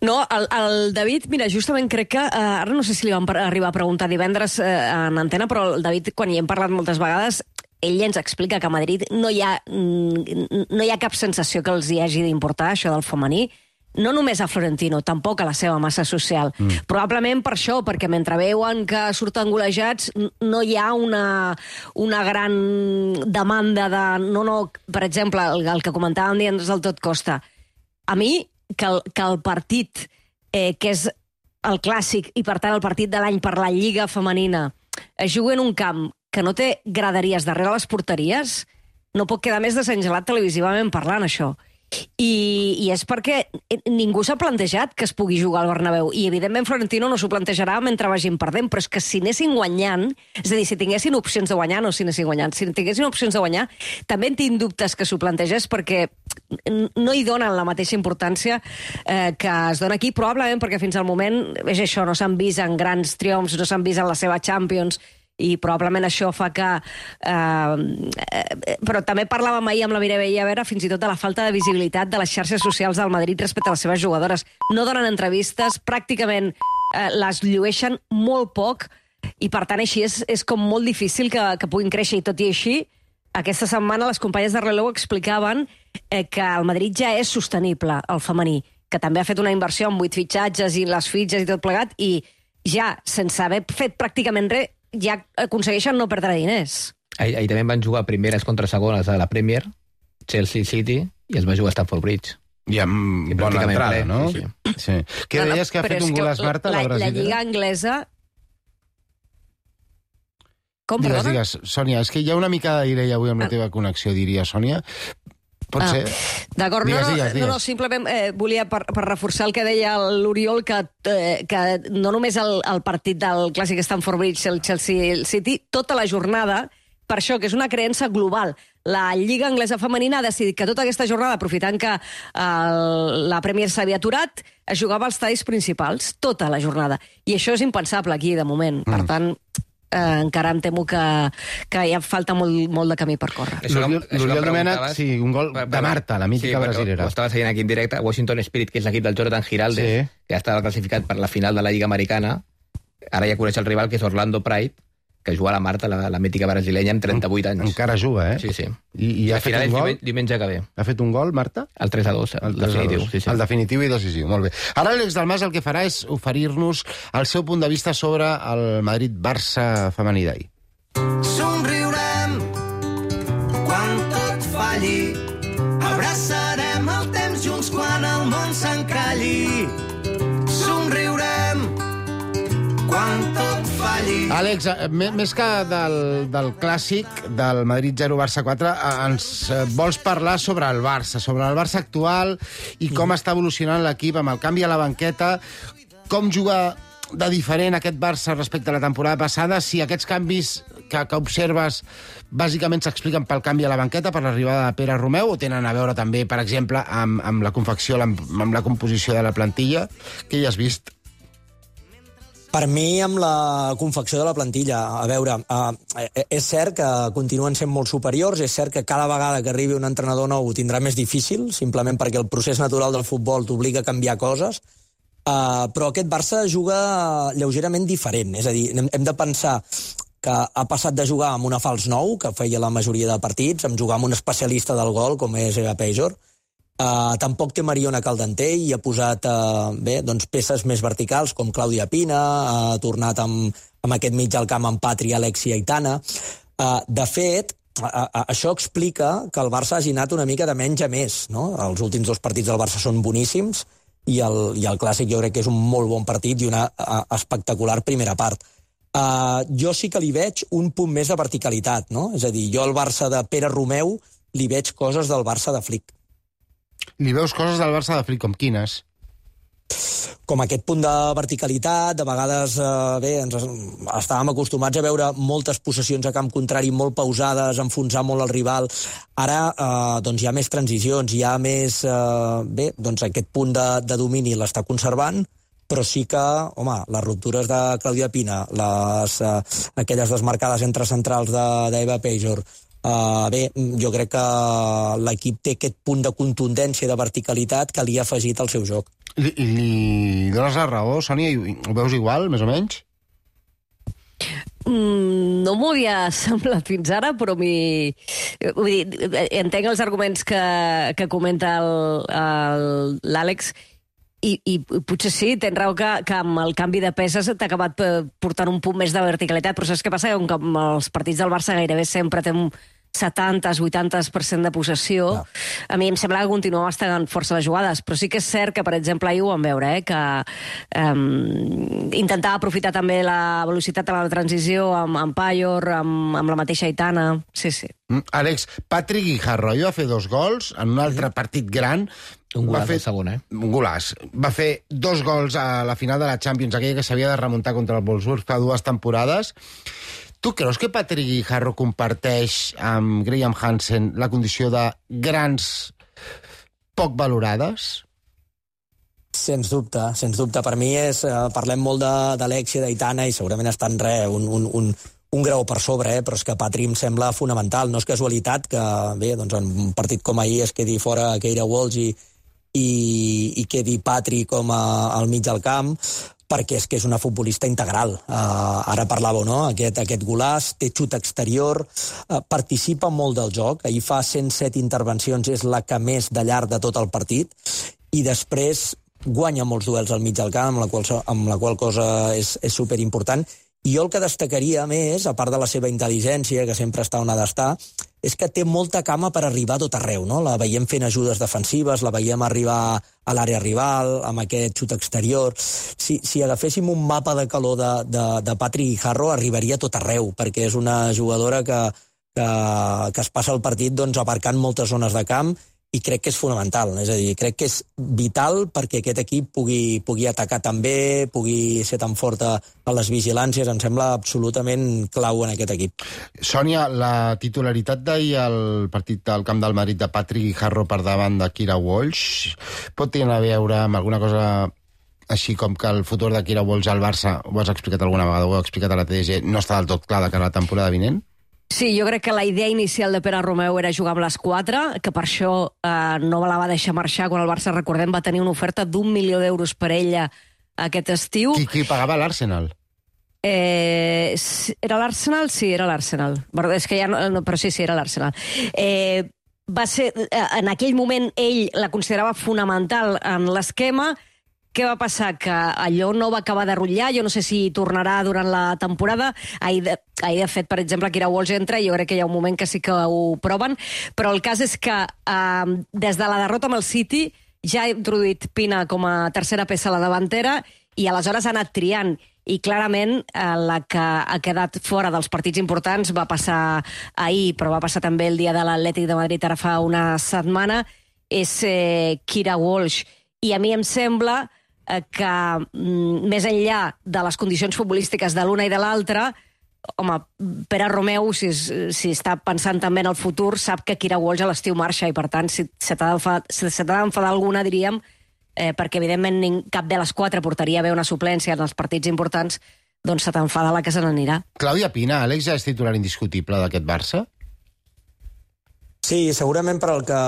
No, el, el David, mira, justament crec que, eh, ara no sé si li vam par- arribar a preguntar divendres eh, en antena, però el David, quan hi hem parlat moltes vegades, ell ens explica que a Madrid no hi ha, mm, no hi ha cap sensació que els hi hagi d'importar això del femení, no només a Florentino, tampoc a la seva massa social. Mm. Probablement per això, perquè mentre veuen que surten golejats, n- no hi ha una, una gran demanda de... No, no, per exemple, el, el que comentàvem divendres del tot costa. A mi, que el, que el partit, eh, que és el clàssic, i per tant el partit de l'any per la Lliga Femenina, es juga en un camp que no té graderies darrere les porteries, no pot quedar més desengelat televisivament parlant, això. I, i és perquè ningú s'ha plantejat que es pugui jugar al Bernabéu, i evidentment Florentino no s'ho plantejarà mentre vagin perdent, però és que si anessin guanyant, és a dir, si tinguessin opcions de guanyar, no si anessin guanyant, si tinguessin opcions de guanyar, també en tinc dubtes que s'ho plantegés, perquè no hi donen la mateixa importància eh, que es dona aquí, probablement perquè fins al moment és això, no s'han vist en grans triomfs, no s'han vist en la seva Champions, i probablement això fa que... Eh, eh, però també parlàvem ahir amb la Mireia Vera fins i tot de la falta de visibilitat de les xarxes socials del Madrid respecte a les seves jugadores. No donen entrevistes, pràcticament eh, les llueixen molt poc, i per tant així és, és com molt difícil que, que puguin créixer, i tot i així aquesta setmana les companyes de Releu explicaven eh, que el Madrid ja és sostenible, el femení, que també ha fet una inversió en vuit fitxatges i les fitxes i tot plegat, i ja, sense haver fet pràcticament res, ja aconsegueixen no perdre diners. Ahir, ahir també van jugar primeres contra segones a la Premier, Chelsea City, i es va jugar a Stamford Bridge. I amb I bona entrada, ple, no? Sí, sí. sí. Què no, no, deies que ha fet un golaç, Marta, la, la brasilera? La Lliga Anglesa... Com, digues, perdona? digues, Sònia, és que hi ha una mica de delay avui amb la teva connexió, diria, Sònia. Pot ah, ser? D'acord, no, digues, no, digues, digues. no, no, simplement eh, volia per, per reforçar el que deia l'Oriol, que, eh, que no només el, el partit del clàssic Stamford Bridge, el Chelsea City, tota la jornada, per això, que és una creença global. La Lliga Anglesa Femenina ha decidit que tota aquesta jornada, aprofitant que eh, la Premier s'havia aturat, es jugava als estadis principals, tota la jornada. I això és impensable aquí, de moment. Mm. Per tant... Eh, encara em temo que, que hi ha falta molt, molt de camí per córrer. L'Oriol Domènech, sí, un gol de Marta, la mítica sí, brasilera. Ho estava seguint aquí en directe. Washington Spirit, que és l'equip del Jonathan Giraldes, sí. que ja estava classificat per la final de la Lliga Americana. Ara ja coneix el rival, que és Orlando Pride, que juga a la Marta, la, la mítica brasilenya, amb trenta-vuit anys. Encara juga, eh? Sí, sí. I, i ha fet un gol? Diumenge que ve. Ha fet un gol, Marta? El tres a dos, el, el definitiu. Sí, sí. El definitiu i decisiu, molt bé. Ara l'Àlex Dalmas el que farà és oferir-nos el seu punt de vista sobre el Madrid-Barça femení d'ahir. Somriurem quan tot falli, abraçarem el temps junts quan el món s'encalli. Somriurem quan tot falli. Àlex, més que del, del clàssic del Madrid zero Barça quatre, ens vols parlar sobre el Barça, sobre el Barça actual i com està evolucionant l'equip amb el canvi a la banqueta, com juga de diferent aquest Barça respecte a la temporada passada, si aquests canvis que, que observes bàsicament s'expliquen pel canvi a la banqueta, per l'arribada de Pere Romeu, o tenen a veure també, per exemple, amb, amb la confecció, amb, amb la composició de la plantilla? Què hi has vist? Per mi, amb la confecció de la plantilla, a veure, eh, és cert que continuen sent molt superiors, és cert que cada vegada que arribi un entrenador nou ho tindrà més difícil, simplement perquè el procés natural del futbol t'obliga a canviar coses, eh, però aquest Barça juga lleugerament diferent, és a dir, hem, hem de pensar que ha passat de jugar amb una fals nou, que feia la majoria de partits, amb jugar amb un especialista del gol, com és Eva Pejor. Uh, tampoc té Mariona Caldanter i ha posat uh, bé, doncs, peces més verticals, com Clàudia Pina, ha tornat amb, amb aquest mig al camp amb Patri, Alexia i Tana. Uh, de fet, uh, uh, això explica que el Barça hagi anat una mica de menys a més, no? Els últims dos partits del Barça són boníssims i el, i el Clàssic jo crec que és un molt bon partit i una uh, espectacular primera part. Uh, jo sí que li veig un punt més de verticalitat, no? És a dir, jo al Barça de Pere Romeu li veig coses del Barça de Flick. Li veus coses del Barça de Flick, com quines? Com aquest punt de verticalitat, de vegades, eh, bé, ens estàvem acostumats a veure moltes possessions a camp contrari molt pausades, enfonsar molt el rival. Ara, eh, doncs hi ha més transicions, hi ha més, eh, bé, doncs aquest punt de, de domini l'està conservant, però sí que, home, les ruptures de Clàudia Pina, les, eh, aquelles desmarcades entre centrals d'Eva Pejor, Uh, bé, jo crec que l'equip té aquest punt de contundència, de verticalitat que li ha afegit al seu joc. Li, li dones la raó, Sònia? Ho veus igual, més o menys? Mm, no m'ho havia semblat fins ara, però mi... Vull dir, entenc els arguments que, que comenta l'Àlex, I, i potser sí, tens raó que, que amb el canvi de peces t'ha acabat portant un punt més de verticalitat, però saps què passa? Com que amb els partits del Barça gairebé sempre té un setanta a vuitanta per cent de possessió, no. A mi em sembla que continua estant força les jugades, però sí que és cert que, per exemple, ahir ho vam veure, eh, que um, intentava aprofitar també la velocitat de la transició amb, amb Pajor, amb, amb la mateixa Aitana, sí, sí. Mm, Àlex, Patrick Guijarro va fer dos gols en un altre mm. partit gran. Un golaç fer, el segon, eh? Un golaç. Va fer dos gols a la final de la Champions, aquella que s'havia de remuntar contra el Wolfsburg fa dues temporades. Tu creus que Patrick Guijarro comparteix amb Graham Hansen la condició de grans poc valorades? Sens dubte, sens dubte. Per mi és, eh, parlem molt d'Alexia, d'Aitana, i segurament està en res, un, un, un, un grau per sobre, eh? Però és que Patri em sembla fonamental. No és casualitat que, bé, doncs en un partit com ahir es quedi fora Keira Walsh i, i, i quedi Patri com a, al mig del camp, perquè és que és una futbolista integral. Uh, ara parlàveu, no? Aquest, aquest golaç, té xut exterior, uh, participa molt del joc, ahir fa cent set intervencions, és la que més de llarg de tot el partit, i després guanya molts duels al mig del camp, amb la qual, amb la qual cosa és, és superimportant. I jo el que destacaria més, a part de la seva intel·ligència, que sempre està on ha d'estar, és que té molta cama per arribar a tot arreu, no? La veiem fent ajudes defensives, la veiem arribar a l'àrea rival, amb aquest xut exterior. Si, si agaféssim un mapa de calor de, de, de Patri Guijarro, arribaria a tot arreu, perquè és una jugadora que, que, que es passa el partit doncs, abarcant moltes zones de camp, i crec que és fonamental, és a dir, crec que és vital perquè aquest equip pugui, pugui atacar tan bé, pugui ser tan fort a, a les vigilàncies, em sembla absolutament clau en aquest equip. Sònia, la titularitat d'ahir al partit del Camp del Madrid de Patri Guijarro per davant de Keira Walsh pot tenir a veure amb alguna cosa així com que el futur de Keira Walsh al Barça, ho has explicat alguna vegada, ho has explicat a la T D G, no està del tot clar de cara a la temporada vinent? Sí, jo crec que la idea inicial de Pere Romeu era jugar amb les quatre, que per això eh, no la va deixar marxar quan el Barça, recordem, va tenir una oferta d'un milió d'euros per ella aquest estiu. Qui, qui pagava l'Arsenal? Eh, era l'Arsenal? Sí, era l'Arsenal. És que ja no, no, però sí, sí, era l'Arsenal. Eh, va ser, en aquell moment ell la considerava fonamental en l'esquema. Què va passar? Que allò no va acabar de rotllar, jo no sé si tornarà durant la temporada. Ahir, de, ahir de fet, per exemple, Keira Walsh entra, i jo crec que hi ha un moment que sí que ho proven, però el cas és que eh, des de la derrota amb el City ja ha introduït Pina com a tercera peça a la davantera, i aleshores ha anat triant, i clarament eh, la que ha quedat fora dels partits importants va passar ahir, però va passar també el dia de l'Atlètic de Madrid ara fa una setmana, és eh, Keira Walsh. I a mi em sembla que mm, més enllà de les condicions futbolístiques de l'una i de l'altra, home, Pere Romeu, si, si està pensant també en el futur, sap que Keira Walsh a l'estiu marxa, i per tant, si se t'ha d'enfadar alguna, diríem, eh, perquè evidentment cap de les quatre portaria bé una suplència en els partits importants, doncs se t'enfada la que se n'anirà. Clàudia Pina, Àlex, ja és titular indiscutible d'aquest Barça? Sí, segurament per al que...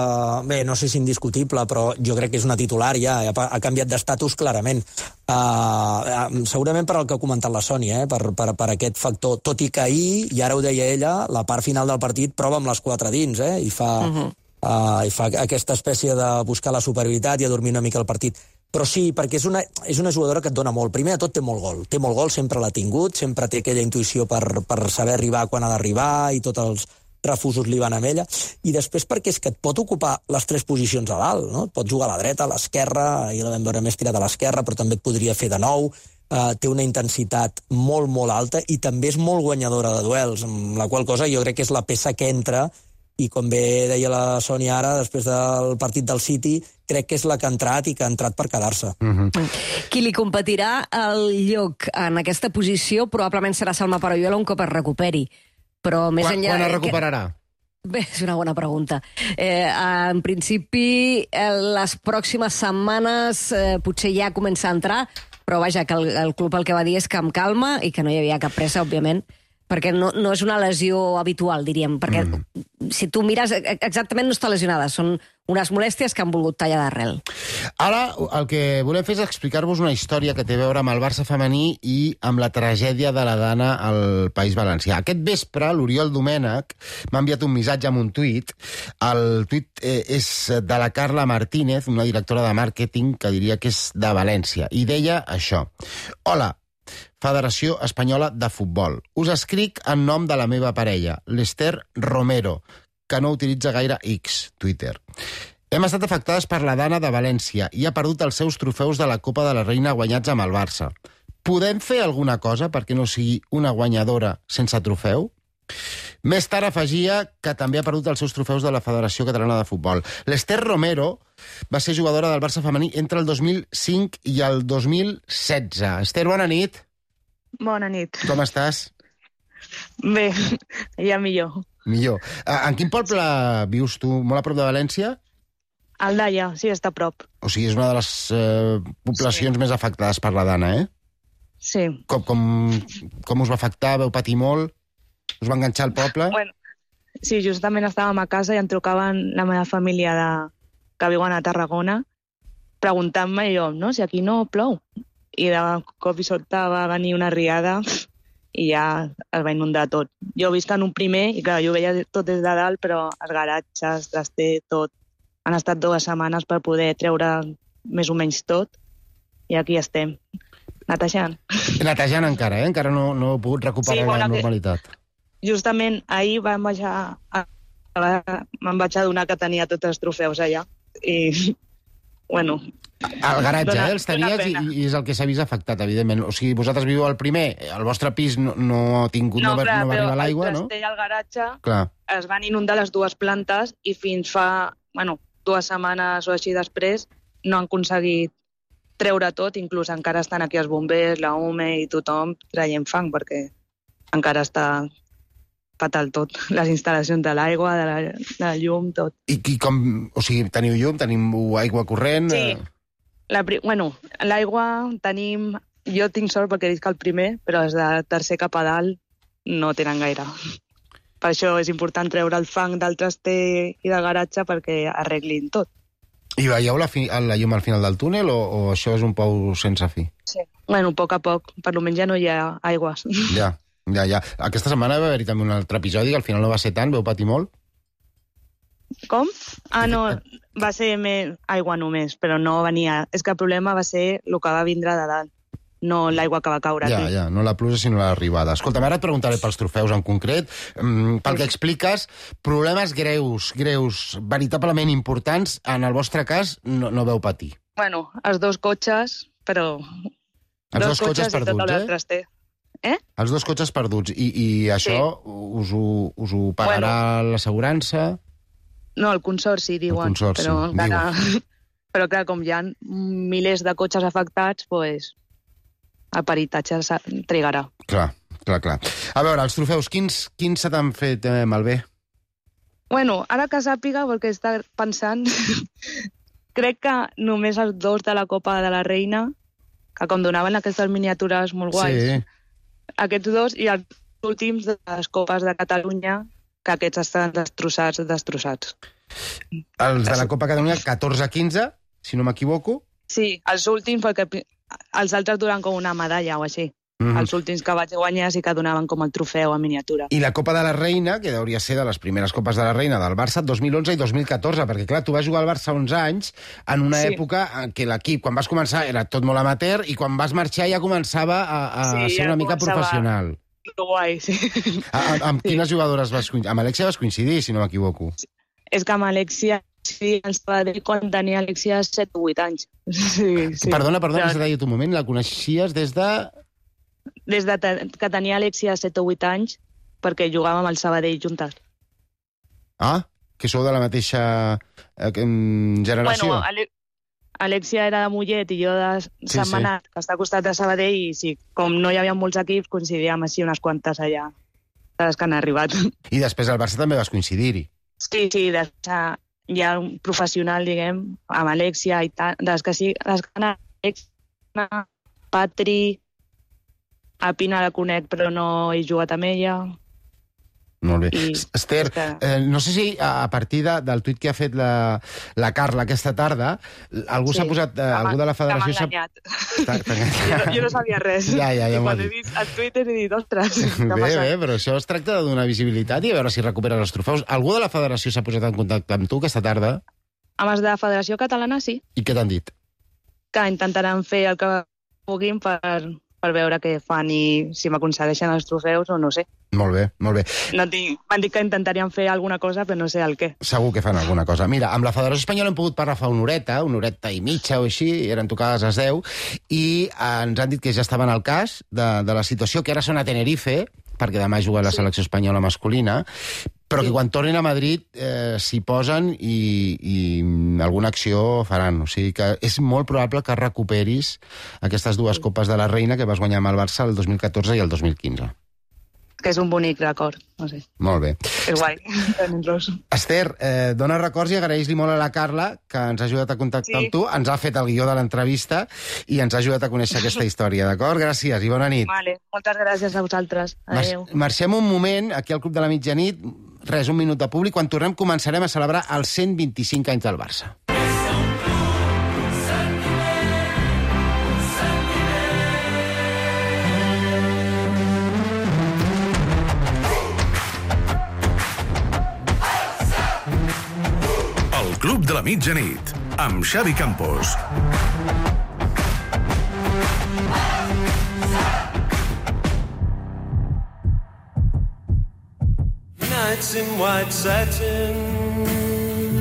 Bé, no sé si indiscutible, però jo crec que és una titular ja, ha canviat d'estatus clarament. Uh, segurament per al que ha comentat la Sònia, eh? per, per, per aquest factor. Tot i que ahir, i ara ho deia ella, la part final del partit prova amb les quatre dins, eh? I fa, uh-huh. uh, i fa aquesta espècie de buscar la superioritat i adormir una mica el partit. Però sí, perquè és una, és una jugadora que et dona molt. Primer de tot té molt gol. Té molt gol, sempre l'ha tingut, sempre té aquella intuïció per, per saber arribar quan ha d'arribar, i tots els refusos li van amb ella, i després perquè és que et pot ocupar les tres posicions a dalt, no? Et pot jugar a la dreta, a l'esquerra, i la vam veure més tirat a l'esquerra, però també et podria fer de nou, uh, té una intensitat molt, molt alta, i també és molt guanyadora de duels, amb la qual cosa jo crec que és la peça que entra, i com bé deia la Sònia ara, després del partit del City, crec que és la que ha entrat i que ha entrat per quedar-se. Uh-huh. Qui li competirà el lloc en aquesta posició probablement serà Salma Parayuela un cop es recuperi. Però més quan, enllà... Quan es recuperarà? Que... Bé, és una bona pregunta. Eh, en principi, eh, les pròximes setmanes eh, potser ja comença a entrar, però vaja, que el, el club el que va dir és que amb calma i que no hi havia cap pressa, òbviament, perquè no, no és una lesió habitual, diríem, perquè mm. si tu mires, exactament no està lesionada, són unes molèsties que han volgut tallar d'arrel. Ara el que volem fer és explicar-vos una història que té a veure amb el Barça femení i amb la tragèdia de la Dana al País Valencià. Aquest vespre, l'Oriol Domènech m'ha enviat un missatge amb un tuit. El tuit eh, és de la Carla Martínez, una directora de màrqueting que diria que és de València, i deia això. Hola, Federació Espanyola de Futbol. Us escric en nom de la meva parella, l'Ester Romero, que no utilitza gaire X, Twitter. Hem estat afectades per la Dana de València i ha perdut els seus trofeus de la Copa de la Reina guanyats amb el Barça. Podem fer alguna cosa perquè no sigui una guanyadora sense trofeu? Més tard afegia que també ha perdut els seus trofeus de la Federació Catalana de Futbol. L'Ester Romero va ser jugadora del Barça femení entre el dos mil cinc i el dos mil setze. Ester, bona nit. Bona nit. Com estàs? Bé, ja millor. Millor. En quin poble vius tu? Molt a prop de València? Aldaia, sí, està a prop. O sigui, és una de les eh, poblacions sí. més afectades per la Dana, eh? Sí. Com, com, com us va afectar? Veu patir molt? Us va enganxar al poble? Bueno, sí, justament estàvem a casa i em trucaven la meva família de... que viuen a Tarragona preguntant-me jo, no, si aquí no plou. I de cop i sobte va venir una riada i ja es va inundar tot. Jo visc en un primer i clar, jo veia tot des de dalt, però els garatges, traster, tot. Han estat dues setmanes per poder treure més o menys tot i aquí estem, netejant. Netejant encara, eh? Encara no, no he pogut recuperar Sí, bueno, la que- normalitat. Justament ahir vam baixar a... a- me'n vaig adonar que tenia tots els trofeus allà i, bueno... Al garatge, dona- eh? Els dona tenies i, pena. i és el que s'ha vist afectat, evidentment. O sigui, vosaltres viveu al primer, el vostre pis no, no ha tingut, no, no, clar, no va però arribar l'aigua, el no? traster i el garatge Clar. es van inundar les dues plantes i fins fa, bueno, dues setmanes o així després no han aconseguit treure tot, inclús encara estan aquí els bombers, la U M E i tothom traient fang perquè encara està fatal tot, les instal·lacions de l'aigua, de, la, de la llum, tot. I, I com... O sigui, teniu llum, teniu aigua corrent... Sí. eh, La, pri- bueno, l'aigua tenim... Jo tinc sort perquè visc al primer, però els de tercer cap a dalt no tenen gaire. Per això és important treure el fang del traster i del garatge perquè arreglin tot. I veieu la, fi, la llum al final del túnel o, o això és un pou sense fi? Sí. Bueno, a poc a poc. Per almenys ja no hi ha aigües. Ja, ja, ja. Aquesta setmana va haver-hi també un altre episodi que al final no va ser tant, veu patir molt? Com? Ah, no, va ser més aigua només, però no venia... És que el problema va ser el que va vindre de dalt, no l'aigua que va caure Ja, aquí. ja, no la pluja sinó l'arribada. Escolta, ara et preguntaré pels trofeus en concret. Mm, pel que expliques, problemes greus, greus, veritablement importants, en el vostre cas no, no veu patir. Bueno, els dos cotxes, però... Els dos cotxes i tot perduts, el eh? traster. Eh? Els dos cotxes perduts. I, i això us, ho, us ho pagarà bueno. l'assegurança? No, el consorci, diuen. El consorci, però, encara... però clar, com hi ha milers de cotxes afectats, pues, el peritatge s'ha- trigarà. Clar, clar, clar. A veure, els trofeus, quins, quins se t'han fet eh, malbé? Bueno, ara que sàpiga, perquè està pensant, crec que només els dos de la Copa de la Reina, que com donaven aquestes miniatures molt guais, Sí. aquests dos, i els últims de les Copes de Catalunya, que aquests estan destrossats, destrossats. Els de la Copa Catalunya, catorze a quinze, si no m'equivoco. Sí, els últims, perquè pi- els altres duran com una medalla o així. Mhm. Els últims que vaig guanyar sí que donaven com el trofeu a miniatura. I la Copa de la Reina, que hauria ser de les primeres Copes de la Reina del Barça, dos mil onze i dos mil catorze, perquè clar, tu vas jugar al Barça onze anys en una Sí. època en què l'equip, quan vas començar, era tot molt amateur, i quan vas marxar ja començava a, a Sí, ser ja una mica començava- professional. Que guai, sí. A, a, amb quines jugadores vas coincidir? Amb Alexia vas coincidir, si no m'equivoco. És que amb Alexia, sí, ens va dir quan tenia Alexia set o vuit anys. Sí, sí. Perdona, perdona, Però que s'ha dit un moment, la coneixies des de... Des de te- que tenia Alexia set o vuit anys, perquè jugàvem al Sabadell juntes. Ah, que sou de la mateixa eh, em, generació. Bueno, Ale Alexia era de Mollet i jo de Sí, Sant sí. Manat, que està al costat de Sabadell, i sí, com no hi havia molts equips, coincidíem així unes quantes allà, de les que han arribat. I després al Barça també vas coincidir-hi. Sí, sí, de, ja un professional, diguem, amb Alexia i tal, de les que sí, les que han Alexia, Patri, a Pina la conec, però no he jugat amb ella. Molt bé. I- Esther, eh, no sé si a a partir de, del tuit que ha fet la, la Carla aquesta tarda, algú Sí, s'ha posat, eh, que m'ha- algú de la que m'ha federació s'ha... enganyat. T'ha- t'ha enganyat. Jo, no- jo no sabia res. Ja, ja, ja I m'ho quan has he dit. vist el Twitter he dit, ostres, què ha Bé, passat? bé, però això es tracta de donar visibilitat i a veure si recuperes els trofeus. Algú de la federació s'ha posat en contacte amb tu aquesta tarda? Amb els de la Federació Catalana, sí, I què t'han dit? que intentaran fer el que puguin per, per veure què fan i si m'aconsegueixen els trofeus o no sé. Molt bé, molt bé. No tinc, m'han dit que intentarien fer alguna cosa, però no sé el què. Segur que fan alguna cosa. Mira, amb la Federació Espanyola hem pogut parlar fa una horeta, una horeta i mitja o així, i eren tocades a les deu, i eh, ens han dit que ja estaven al cas de, de la situació, que ara són a Tenerife, perquè demà juga la selecció espanyola masculina, però que quan tornin a Madrid eh, s'hi posen i, i alguna acció faran. O sigui que és molt probable que recuperis aquestes dues Copes de la Reina que vas guanyar amb el Barça el dos mil catorze i el dos mil quinze. que és un bonic record, no sé. Molt bé. És guai, tenir-los. Esther, eh, dona records i agraeix-li molt a la Carla, que ens ha ajudat a contactar Sí. amb tu, ens ha fet el guió de l'entrevista i ens ha ajudat a conèixer aquesta història, d'acord? Gràcies i bona nit. Vale, moltes gràcies a vosaltres. Adéu. Mar marxem un moment, aquí al Club de la Mitjanit, res, un minut de públic, quan tornem començarem a celebrar els cent vint-i-cinc anys del Barça. El Club de la Mitjanit, amb Xavi Campos. Nights in white satin.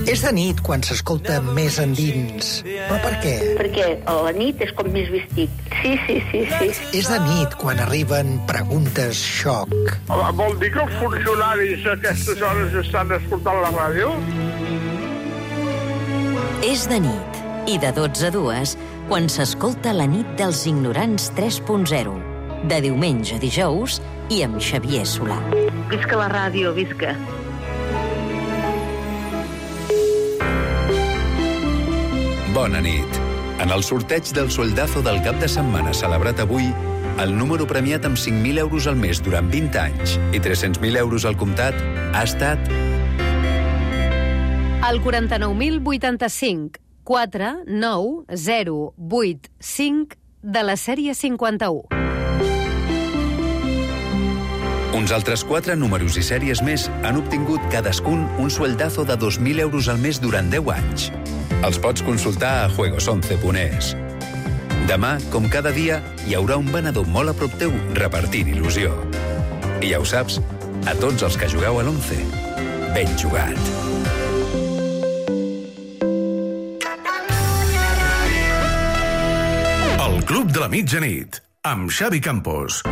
És de nit quan s'escolta més endins. Però per què? Perquè a la nit és com més vestit. Sí, sí, sí, sí. És de nit quan arriben preguntes xoc. Vol dir que els funcionaris a aquestes hores estan escoltant la ràdio? És de nit, i de dotze a dues, quan s'escolta la nit dels ignorants tres punt zero, de diumenge a dijous i amb Xavier Solà. Visca la ràdio, visca. Bona nit. En el sorteig del soldazo del cap de setmana celebrat avui, el número premiat amb cinc mil euros al mes durant vint anys i tres-cents mil euros al comptat ha estat El quaranta-nou mil vuitanta-cinc, quatre nou zero vuit cinc de la sèrie cinquanta-u. Uns altres quatre números i sèries més han obtingut cadascun un sueldazo de dos mil euros al mes durant deu anys. Els pots consultar a juegos once punt es. Demà, com cada dia, hi haurà un venedor molt a prop teu repartint il·lusió. I ja ho saps, a tots els que jugueu a l'once, ben jugat. El Club de la Mitjanit, amb Xavi Campos.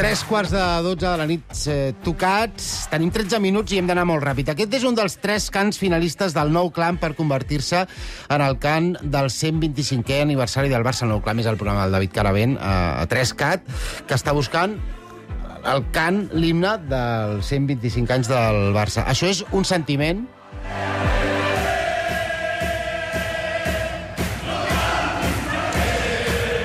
Tres quarts de dotze de la nit eh, tocats. Tenim tretze minuts i hem d'anar molt ràpid. Aquest és un dels tres cants finalistes del Nou Clam per convertir-se en el cant del cent vint-i-cinquè aniversari del Barça. El Nou Clam és el programa del David Caravent a, a tres cat, que està buscant el cant, l'himne dels cent vint-i-cinc anys del Barça. Això és un sentiment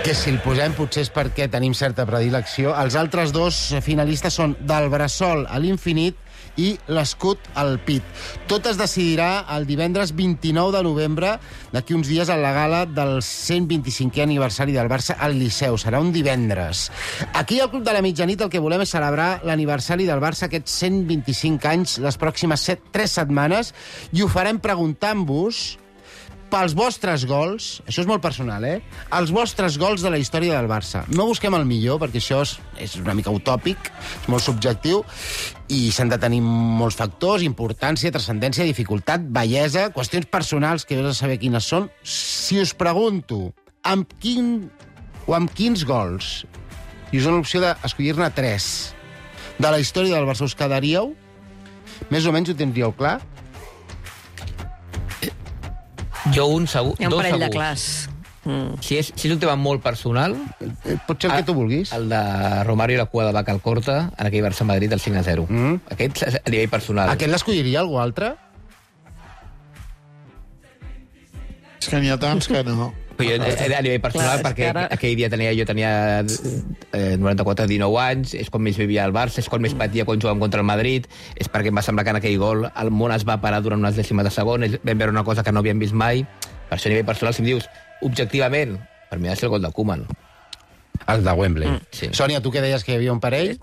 que si el posem potser és perquè tenim certa predilecció. Els altres dos finalistes són Del bressol a l'infinit i L'escut al pit. Tot es decidirà el divendres vint-i-nou de novembre, d'aquí uns dies, a la gala del cent vint-i-cinquè aniversari del Barça al Liceu. Serà un divendres. Aquí al Club de la Mitjanit el que volem és celebrar l'aniversari del Barça, aquests cent vint-i-cinc anys, les pròximes set, tres setmanes, i ho farem preguntant-vos pels vostres gols, això és molt personal, eh? Els vostres gols de la història del Barça. No busquem el millor, perquè això és, és una mica utòpic, és molt subjectiu, i s'han de tenir molts factors, importància, transcendència, dificultat, bellesa, qüestions personals que heu de saber quines són. Si us pregunto amb quin o amb quins gols, i us dono l'opció d'escollir-ne tres, de la història del Barça us quedaríeu, més o menys ho tindríeu clar? Jo un segur, Hi ha un dos parell de segurs. clars. Mm. Si és, si és un tema molt personal... Pot ser el que tu vulguis. El de Romario i la cua de vaca al Corta, en aquell Barça-Madrid, el cinc a zero. Mm. Aquest a nivell personal. Aquest l'escolliria algú altre? És que n'hi ha tants que no. Però jo, a nivell personal, Clar, perquè ara... aquell dia tenia, jo tenia eh, noranta-quatre, dinou anys, és quan més vivia al Barça, és quan més patia quan jugàvem contra el Madrid, és perquè em va semblar que en aquell gol el món es va parar durant unes dècimes de segon, vam veure una cosa que no havíem vist mai. Per això a nivell personal, si em dius, objectivament, per mi ha de ser el gol de Koeman. El de Wembley. Mm, sí. Sònia, tu què deies que hi havia un parell?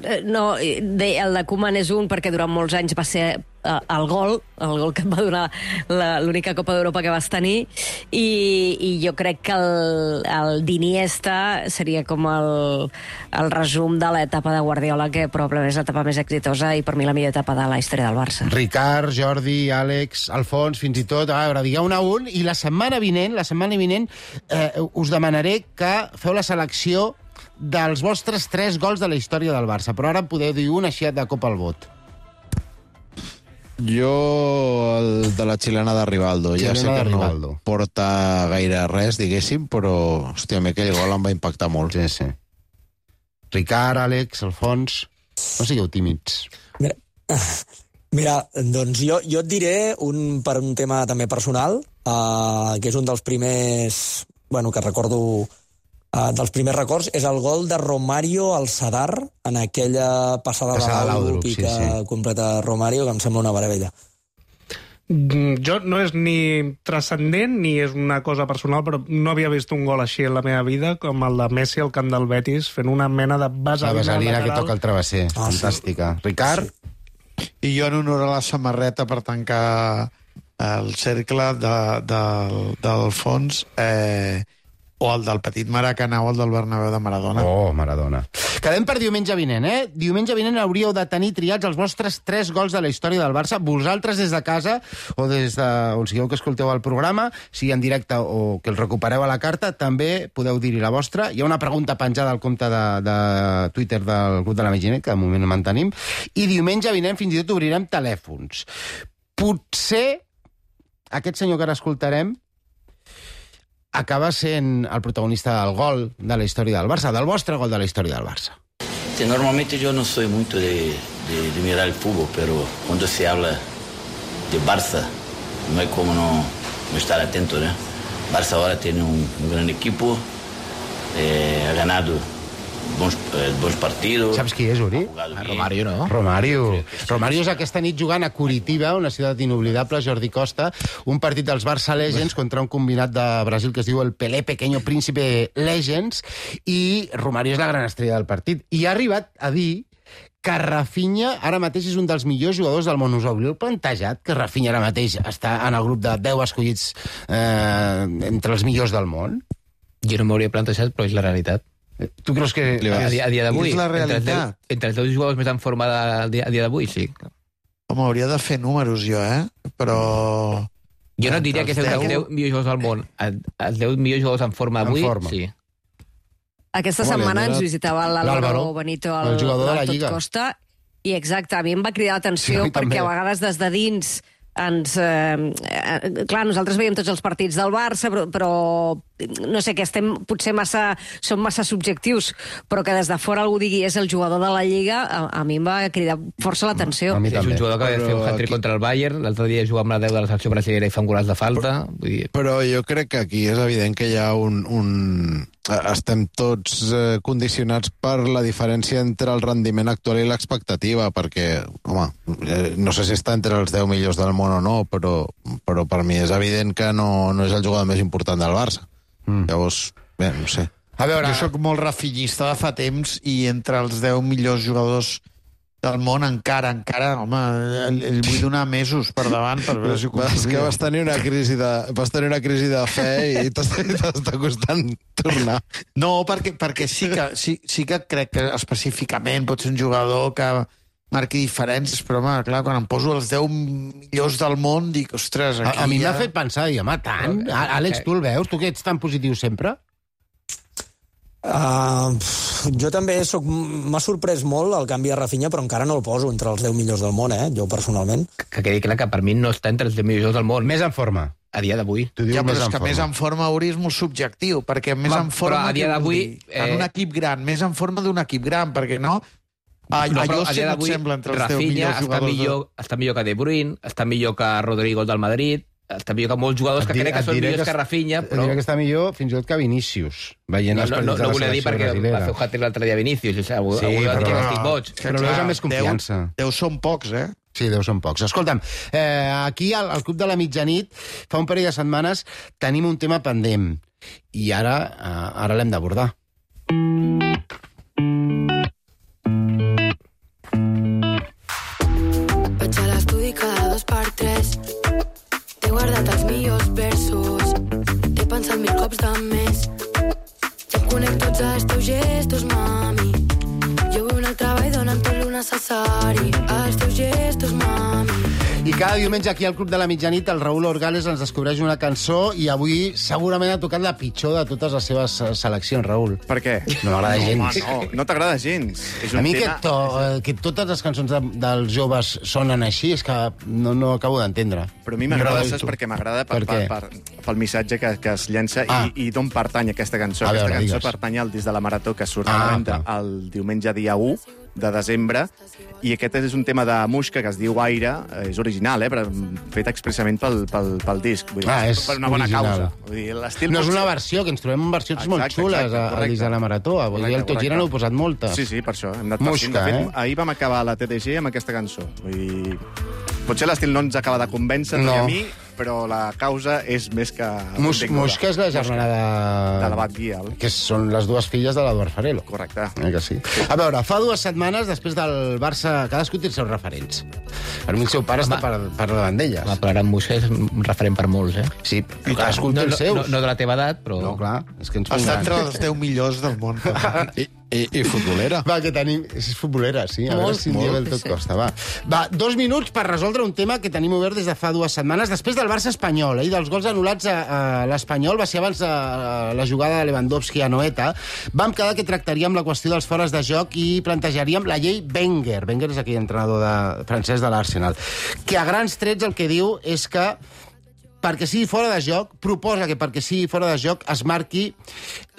Eh, No, de, el de Koeman és un perquè durant molts anys va ser eh, el gol, el gol que et va donar la- l'única Copa d'Europa que vas tenir, i, i jo crec que el, el d'Iniesta seria com el, el resum de l'etapa de Guardiola, que probablement és l'etapa més exitosa i per mi la millor etapa de la història del Barça. Ricard, Jordi, Àlex, Alfons, fins i tot, a veure, digueu un a un, i la setmana vinent, la setmana vinent, eh, us demanaré que feu la selecció dels vostres tres gols de la història del Barça, però ara podeu dir un així de cop al vot. Jo, el de la xilena de Rivaldo. Ja Xilena sé de que Rivaldo. no porta gaire res, diguéssim, però, hòstia, a mi aquell gol em va impactar molt. Sí, sí. Ricard, Àlex, Alfons... No sigueu tímids. Mira, mira doncs jo, jo et diré, un, per un tema també personal, uh, que és un dels primers... Bueno, que recordo... Uh, dels primers records, és el gol de Romario al Sadar, en aquella passada, Passada de de l'Àudrup, l'Àudrup, i sí, que sí. completa Romario, que em sembla una meravella. Mm, Jo no és ni transcendent ni és una cosa personal, però no havia vist un gol així en la meva vida com el de Messi al camp del Betis, fent una mena de La vaselina vaselina que lateral. toca el travesser. Ah, sí. Fantàstica. Ricard? I jo en honor a la samarreta per tancar el cercle de, de, del fons, eh, o el del petit Maracanà o el del Bernabéu de Maradona. Oh, Maradona. Quedem per diumenge vinent, eh? Diumenge vinent hauríeu de tenir triats els vostres tres gols de la història del Barça. Vosaltres des de casa o des de on sigueu que escolteu el programa, sigui en directe o que el recupereu a la carta, també podeu dir-hi la vostra. Hi ha una pregunta penjada al compte de, de Twitter del grup de la Meginet, que de moment mantenim, i diumenge vinent fins i tot obrirem telèfons. Potser aquest senyor que ara escoltarem acaba sent el protagonista del gol de la història del Barça, del vostre gol de la història del Barça. Sí, normalmente yo no soy mucho de, de- de mirar el fútbol, pero cuando se habla de Barça, no hay como no, no estar atento, ¿no? Barça ahora tiene un, un gran equipo, eh, ha ganado bons, eh, bons partidos. Saps qui és, Uri? Romario, no? Romario. Romario és aquesta nit jugant a Curitiba, una ciutat inoblidable, Jordi Costa, un partit dels Barça Legends contra un combinat de Brasil que es diu el Pelé Pequeño Príncipe Legends, i Romario és la gran estrella del partit. I ha arribat a dir que Rafinha ara mateix és un dels millors jugadors del món. Us hauríeu plantejat que Rafinha ara mateix està en el grup de deu escollits eh, entre els millors del món? Jo no m'hauria plantejat, però és la realitat. Tu creus que... A dia, a dia d'avui, És la entre, els deu- realitat. entre els deu jugadors més en forma de, a dia, a dia d'avui, sí. Home, hauria de fer números jo, eh? Però... Jo no et diria que és un dels deu millors jugadors del món. El- Els deu millors jugadors en forma En avui, forma. sí. Aquesta Home, setmana li ha ens donat visitava l'Álvaro l'Álvaro, Benito, el el, jugador de la del Tot Lliga. Costa, i exacte, a mi em va cridar Sí, l'atenció a mi perquè també. a vegades des de dins ens... Eh, eh, clar, nosaltres veiem tots els partits del Barça, però, però no sé, que estem potser massa... som massa subjectius, però que des de fora algú digui és el jugador de la Lliga, a, a mi em va cridar força l'atenció. A mi Sí, és un també. jugador que va fer un Però hat-trick aquí- contra el Bayern, l'altre dia jugava amb la deu de la selecció brasilera i fa un golaç de falta. Vull dir, Però jo crec que aquí és evident que hi ha un... un... Estem tots eh, condicionats per la diferència entre el rendiment actual i l'expectativa, perquè, home, eh, no sé si està entre els deu millors del món o no, però, però per mi és evident que no, no és el jugador més important del Barça. Mm. Llavors, bé, no sé. A veure... Jo sóc molt rafinyista de fa temps i entre els deu millors jugadors del món encara, encara, home, el, el vull donar mesos per davant per veure si ho És que vas tenir una crisi de, vas tenir una crisi de fe i t'està t'està costant tornar. No, perquè, perquè sí, que, sí, sí que crec que específicament pot ser un jugador que marqui diferències, però, home, clar, quan em poso els deu millors del món, dic, ostres, aquí A, a mi ja... m'ha fet pensar, i home, tant. A- Àlex, tu el veus? Tu que ets tan positiu sempre? Uh, jo també soc, m'ha sorprès molt el canvi de Rafinha, però encara no el poso entre els deu millors del món, eh? Jo personalment. que quedi clar que per mi no està entre els deu millors del món. Més en forma. A dia d'avui. Tu dius Ja, però més és en que forma. més en forma Uri és molt subjectiu, perquè més Home, en forma... però a dia què vol d'avui, dir? En eh, un equip gran, més en forma d'un equip gran, perquè no... A, No, allò però a sí dia que et d'avui sembla entre els deu Rafinha millors està jugadors. millor, està millor que De Bruyne, està millor que Rodrigo del Madrid, està millor que molts jugadors Et que diré- crec que et són diré millors que que Rafinha, Et però... diré que està millor fins i tot que Vinícius, veient No, els no, partits no, de no la volia dir selecció perquè brasilera. va fer un hat-trick l'altre dia Vinícius, o sigui, algú, Sí, algú va dir però que no. estic boig. Però el veus amb més confiança. Deu, deu són pocs, eh? Sí, deu són pocs. Escolta'm, eh, aquí al, al Club de la Mitjanit, fa un parell de setmanes, tenim un tema pendent. I ara, eh, ara l'hem d'abordar. Vaig a l'estudi cada els millors versos. T'he pensat mil cops de més. Ja em conec tots els teus gestos, mami. Jo vull el treball donant tot lo necessari. Els teus gestos, mami. I cada diumenge aquí al Club de la Mitjanit el Raül Orgales ens descobreix una cançó i avui segurament ha tocat la pitjor de totes les seves seleccions, Raül. Per què? No m'agrada no, gens. No, no t'agrada gens. És un a mi tema... que, to, eh, que totes les cançons de, dels joves sonen així és que no, no acabo d'entendre. Però a mi m'agrada, saps per què m'agrada? Per, per, per, per, pel missatge que, que es llença ah. i, i d'on pertany aquesta cançó. A aquesta veure, cançó digues. pertany al disc de la Marató que surt Ah, a la venda clar. el diumenge dia u de desembre, i aquest és un tema de Muixca que es diu Aire, és original, eh, però fet expressament pel, pel, pel disc. Vull dir, Ah, és per una bona original. causa. Vull dir, l'estil No és potser- una versió, que ens trobem en versions Exacte, molt xules exacte, a- al correcte. disc de la Marató. Vull dir, el Tot Gira n'heu posat moltes. Sí, sí, per això. Hem anat Musca, partint. De fet, eh? ahir vam acabar la T D G amb aquesta cançó. Vull dir, potser l'estil no ens acaba de convèncer, No. ni a mi, però la causa és més que... Mus, benvinguda. Musca és la germana de... De l'abat Guial. Que són les dues filles de l'Eduard Farelo. Correcte. Eh que sí? A veure, fa dues setmanes, després del Barça, cadascú té els seus referents. Per mi el seu pare està per, per davant d'elles. Home, però ara en Musca és un referent per molts, eh? Sí, però cadascú té no, els seus. No, no de la teva edat, però... No, clar, és que ens Està pondran. entre els deu millors del món. I, i, i futbolera. Va, que tenim... És futbolera, sí. A Molt, veure si un dia molt, ve el tot sí. costa, va. Va, dos minuts per resoldre un tema que tenim obert des de fa dues setmanes, després del Barça espanyol, eh, i dels gols anul·lats a, a l'Espanyol, va ser abans de la jugada de Lewandowski a Noeta. Vam quedar que tractaríem la qüestió dels fores de joc i plantejaríem la llei Wenger. Wenger és aquell entrenador de, francès de l'Arsenal, que a grans trets el que diu és que perquè sigui fora de joc, proposa que perquè sigui fora de joc es marqui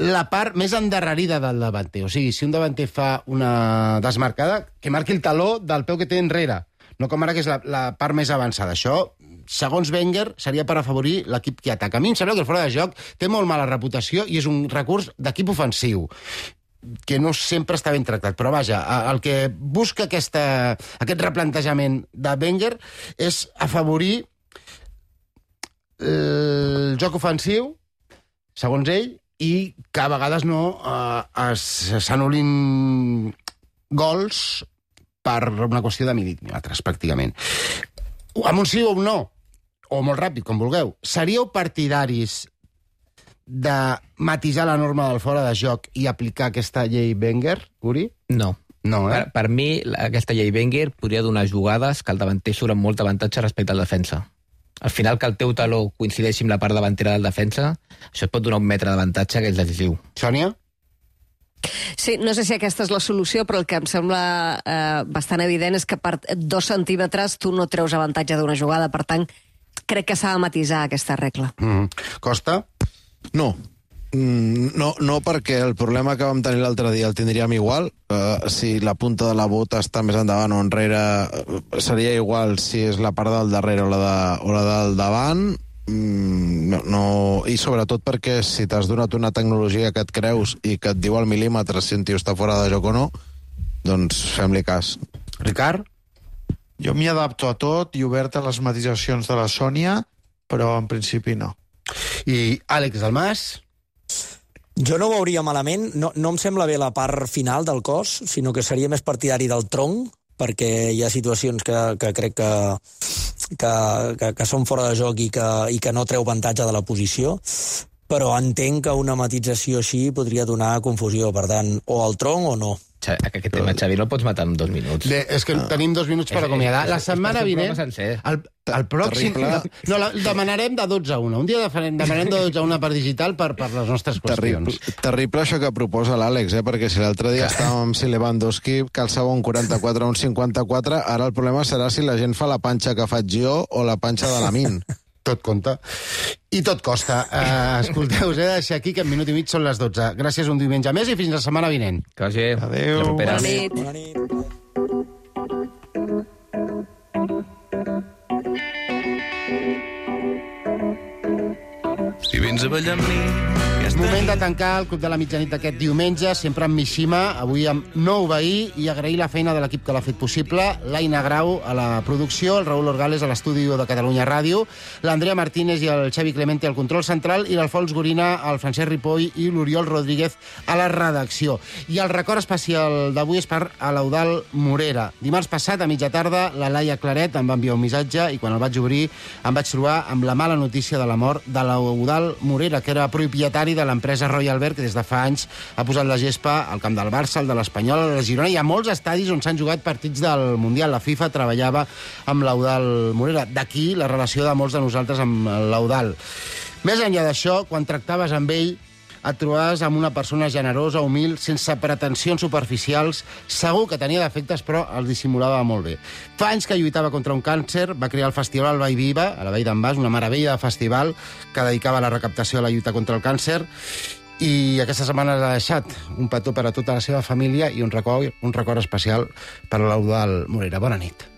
la part més endarrerida del davanter. O sigui, si un davanter fa una desmarcada, que marqui el taló del peu que té enrere, no com ara que és la, la part més avançada. Això, segons Wenger, seria per afavorir l'equip que ataca. A mi em sembla que el fora de joc té molt mala reputació i és un recurs d'equip ofensiu que no sempre està ben tractat. Però vaja, el que busca aquesta, aquest replantejament de Wenger és afavorir el joc ofensiu, segons ell, i que a vegades no eh, s'anul·lin gols per una qüestió de mil·límetres, pràcticament. Amb un sí o un no, o molt ràpid, com vulgueu, seríeu partidaris de matisar la norma del fora de joc i aplicar aquesta llei Wenger, Uri? No. No, eh? Per, per mi, la- aquesta llei Wenger podria donar jugades que el davanter surt amb molt avantatge respecte al defensa. Al final, que el teu taló coincideixi amb la part davantera del defensa, això et pot donar un metre d'avantatge que és decisiu. Sònia? Sí, no sé si aquesta és la solució, però el que em sembla eh, bastant evident és que per dos centímetres tu no treus avantatge d'una jugada. Per tant, crec que s'ha de matisar aquesta regla. Mm. Costa? No. Mm, No, no, perquè el problema que vam tenir l'altre dia el tindríem igual. Uh, si la punta de la bota està més endavant o enrere, uh, seria igual si és la part del darrere o la, de, o la del davant. Mm, no, no, i sobretot perquè si t'has donat una tecnologia que et creus i que et diu al mil·límetre si un tio està fora de joc o no, doncs fem-li cas. Ricard? Jo m'hi adapto a tot i obert a les matisacions de la Sònia, però en principi no. I Àlex Dalmas? Jo no ho veuria malament, no, no em sembla bé la part final del cos, sinó que seria més partidari del tronc, perquè hi ha situacions que, que crec que, que, que, que són fora de joc i que, i que no treu avantatge de la posició, però entenc que una matització així podria donar confusió, per tant, o al tronc o no. Aquest tema, Xavi, no el pots matar en dos minuts. Bé, és que ah. tenim dos minuts per És- acomiadar. és- La és- setmana és un vinent... programa El, el pròxim... Terrible. No, la, demanarem de dotze a una. Un dia demanarem de dotze a una per digital per, per les nostres Terrible, qüestions. terrible això que proposa l'Àlex, eh? Perquè si l'altre dia estàvem amb si Lewandowski calçava un quaranta-quatre o un cinquanta-quatre, ara el problema serà si la gent fa la panxa que faig jo o la panxa de la Min. Tot compta. I tot costa. Uh, escolteu, us he de deixar aquí que en minut i mig són les dotze. Gràcies un diumenge més i fins la setmana vinent. Que vagi. Adéu. La propera. Bona nit. Bona nit. Si vens a ballar amb mi, Moment de tancar el Club de la Mitjanit d'aquest diumenge, sempre amb Mishima, avui amb nou veí, i agrair la feina de l'equip que l'ha fet possible, l'Aina Grau a la producció, el Raül Orgales a l'estudi de Catalunya Ràdio, l'Andrea Martínez i el Xavi Clemente al control central, i l'Alfons Gorina, el Francesc Ripoll i l'Oriol Rodríguez a la redacció. I el record especial d'avui és per a l'Eudald Morera. Dimarts passat, a mitja tarda, la Laia Claret em va enviar un missatge i quan el vaig obrir em vaig trobar amb la mala notícia de la mort de l'Eudald Morera, que era propietari de l'empresa Royal Beer, que des de fa anys ha posat la gespa al camp del Barça, el de l'Espanyol, el de Girona, i a molts estadis on s'han jugat partits del Mundial. La FIFA treballava amb l'Eudald Morera. D'aquí la relació de molts de nosaltres amb l'Eudald. Més enllà d'això, quan tractaves amb ell, et trobaves amb una persona generosa, humil, sense pretensions superficials, segur que tenia defectes, però els dissimulava molt bé. Fa anys que lluitava contra un càncer, va crear el festival El Vall Viva, a la Vall d'en Bas, una meravella de festival que dedicava la recaptació a la lluita contra el càncer, i aquesta setmana ha deixat un petó per a tota la seva família i un record, un record especial per a l'Eudald Morera. Bona nit.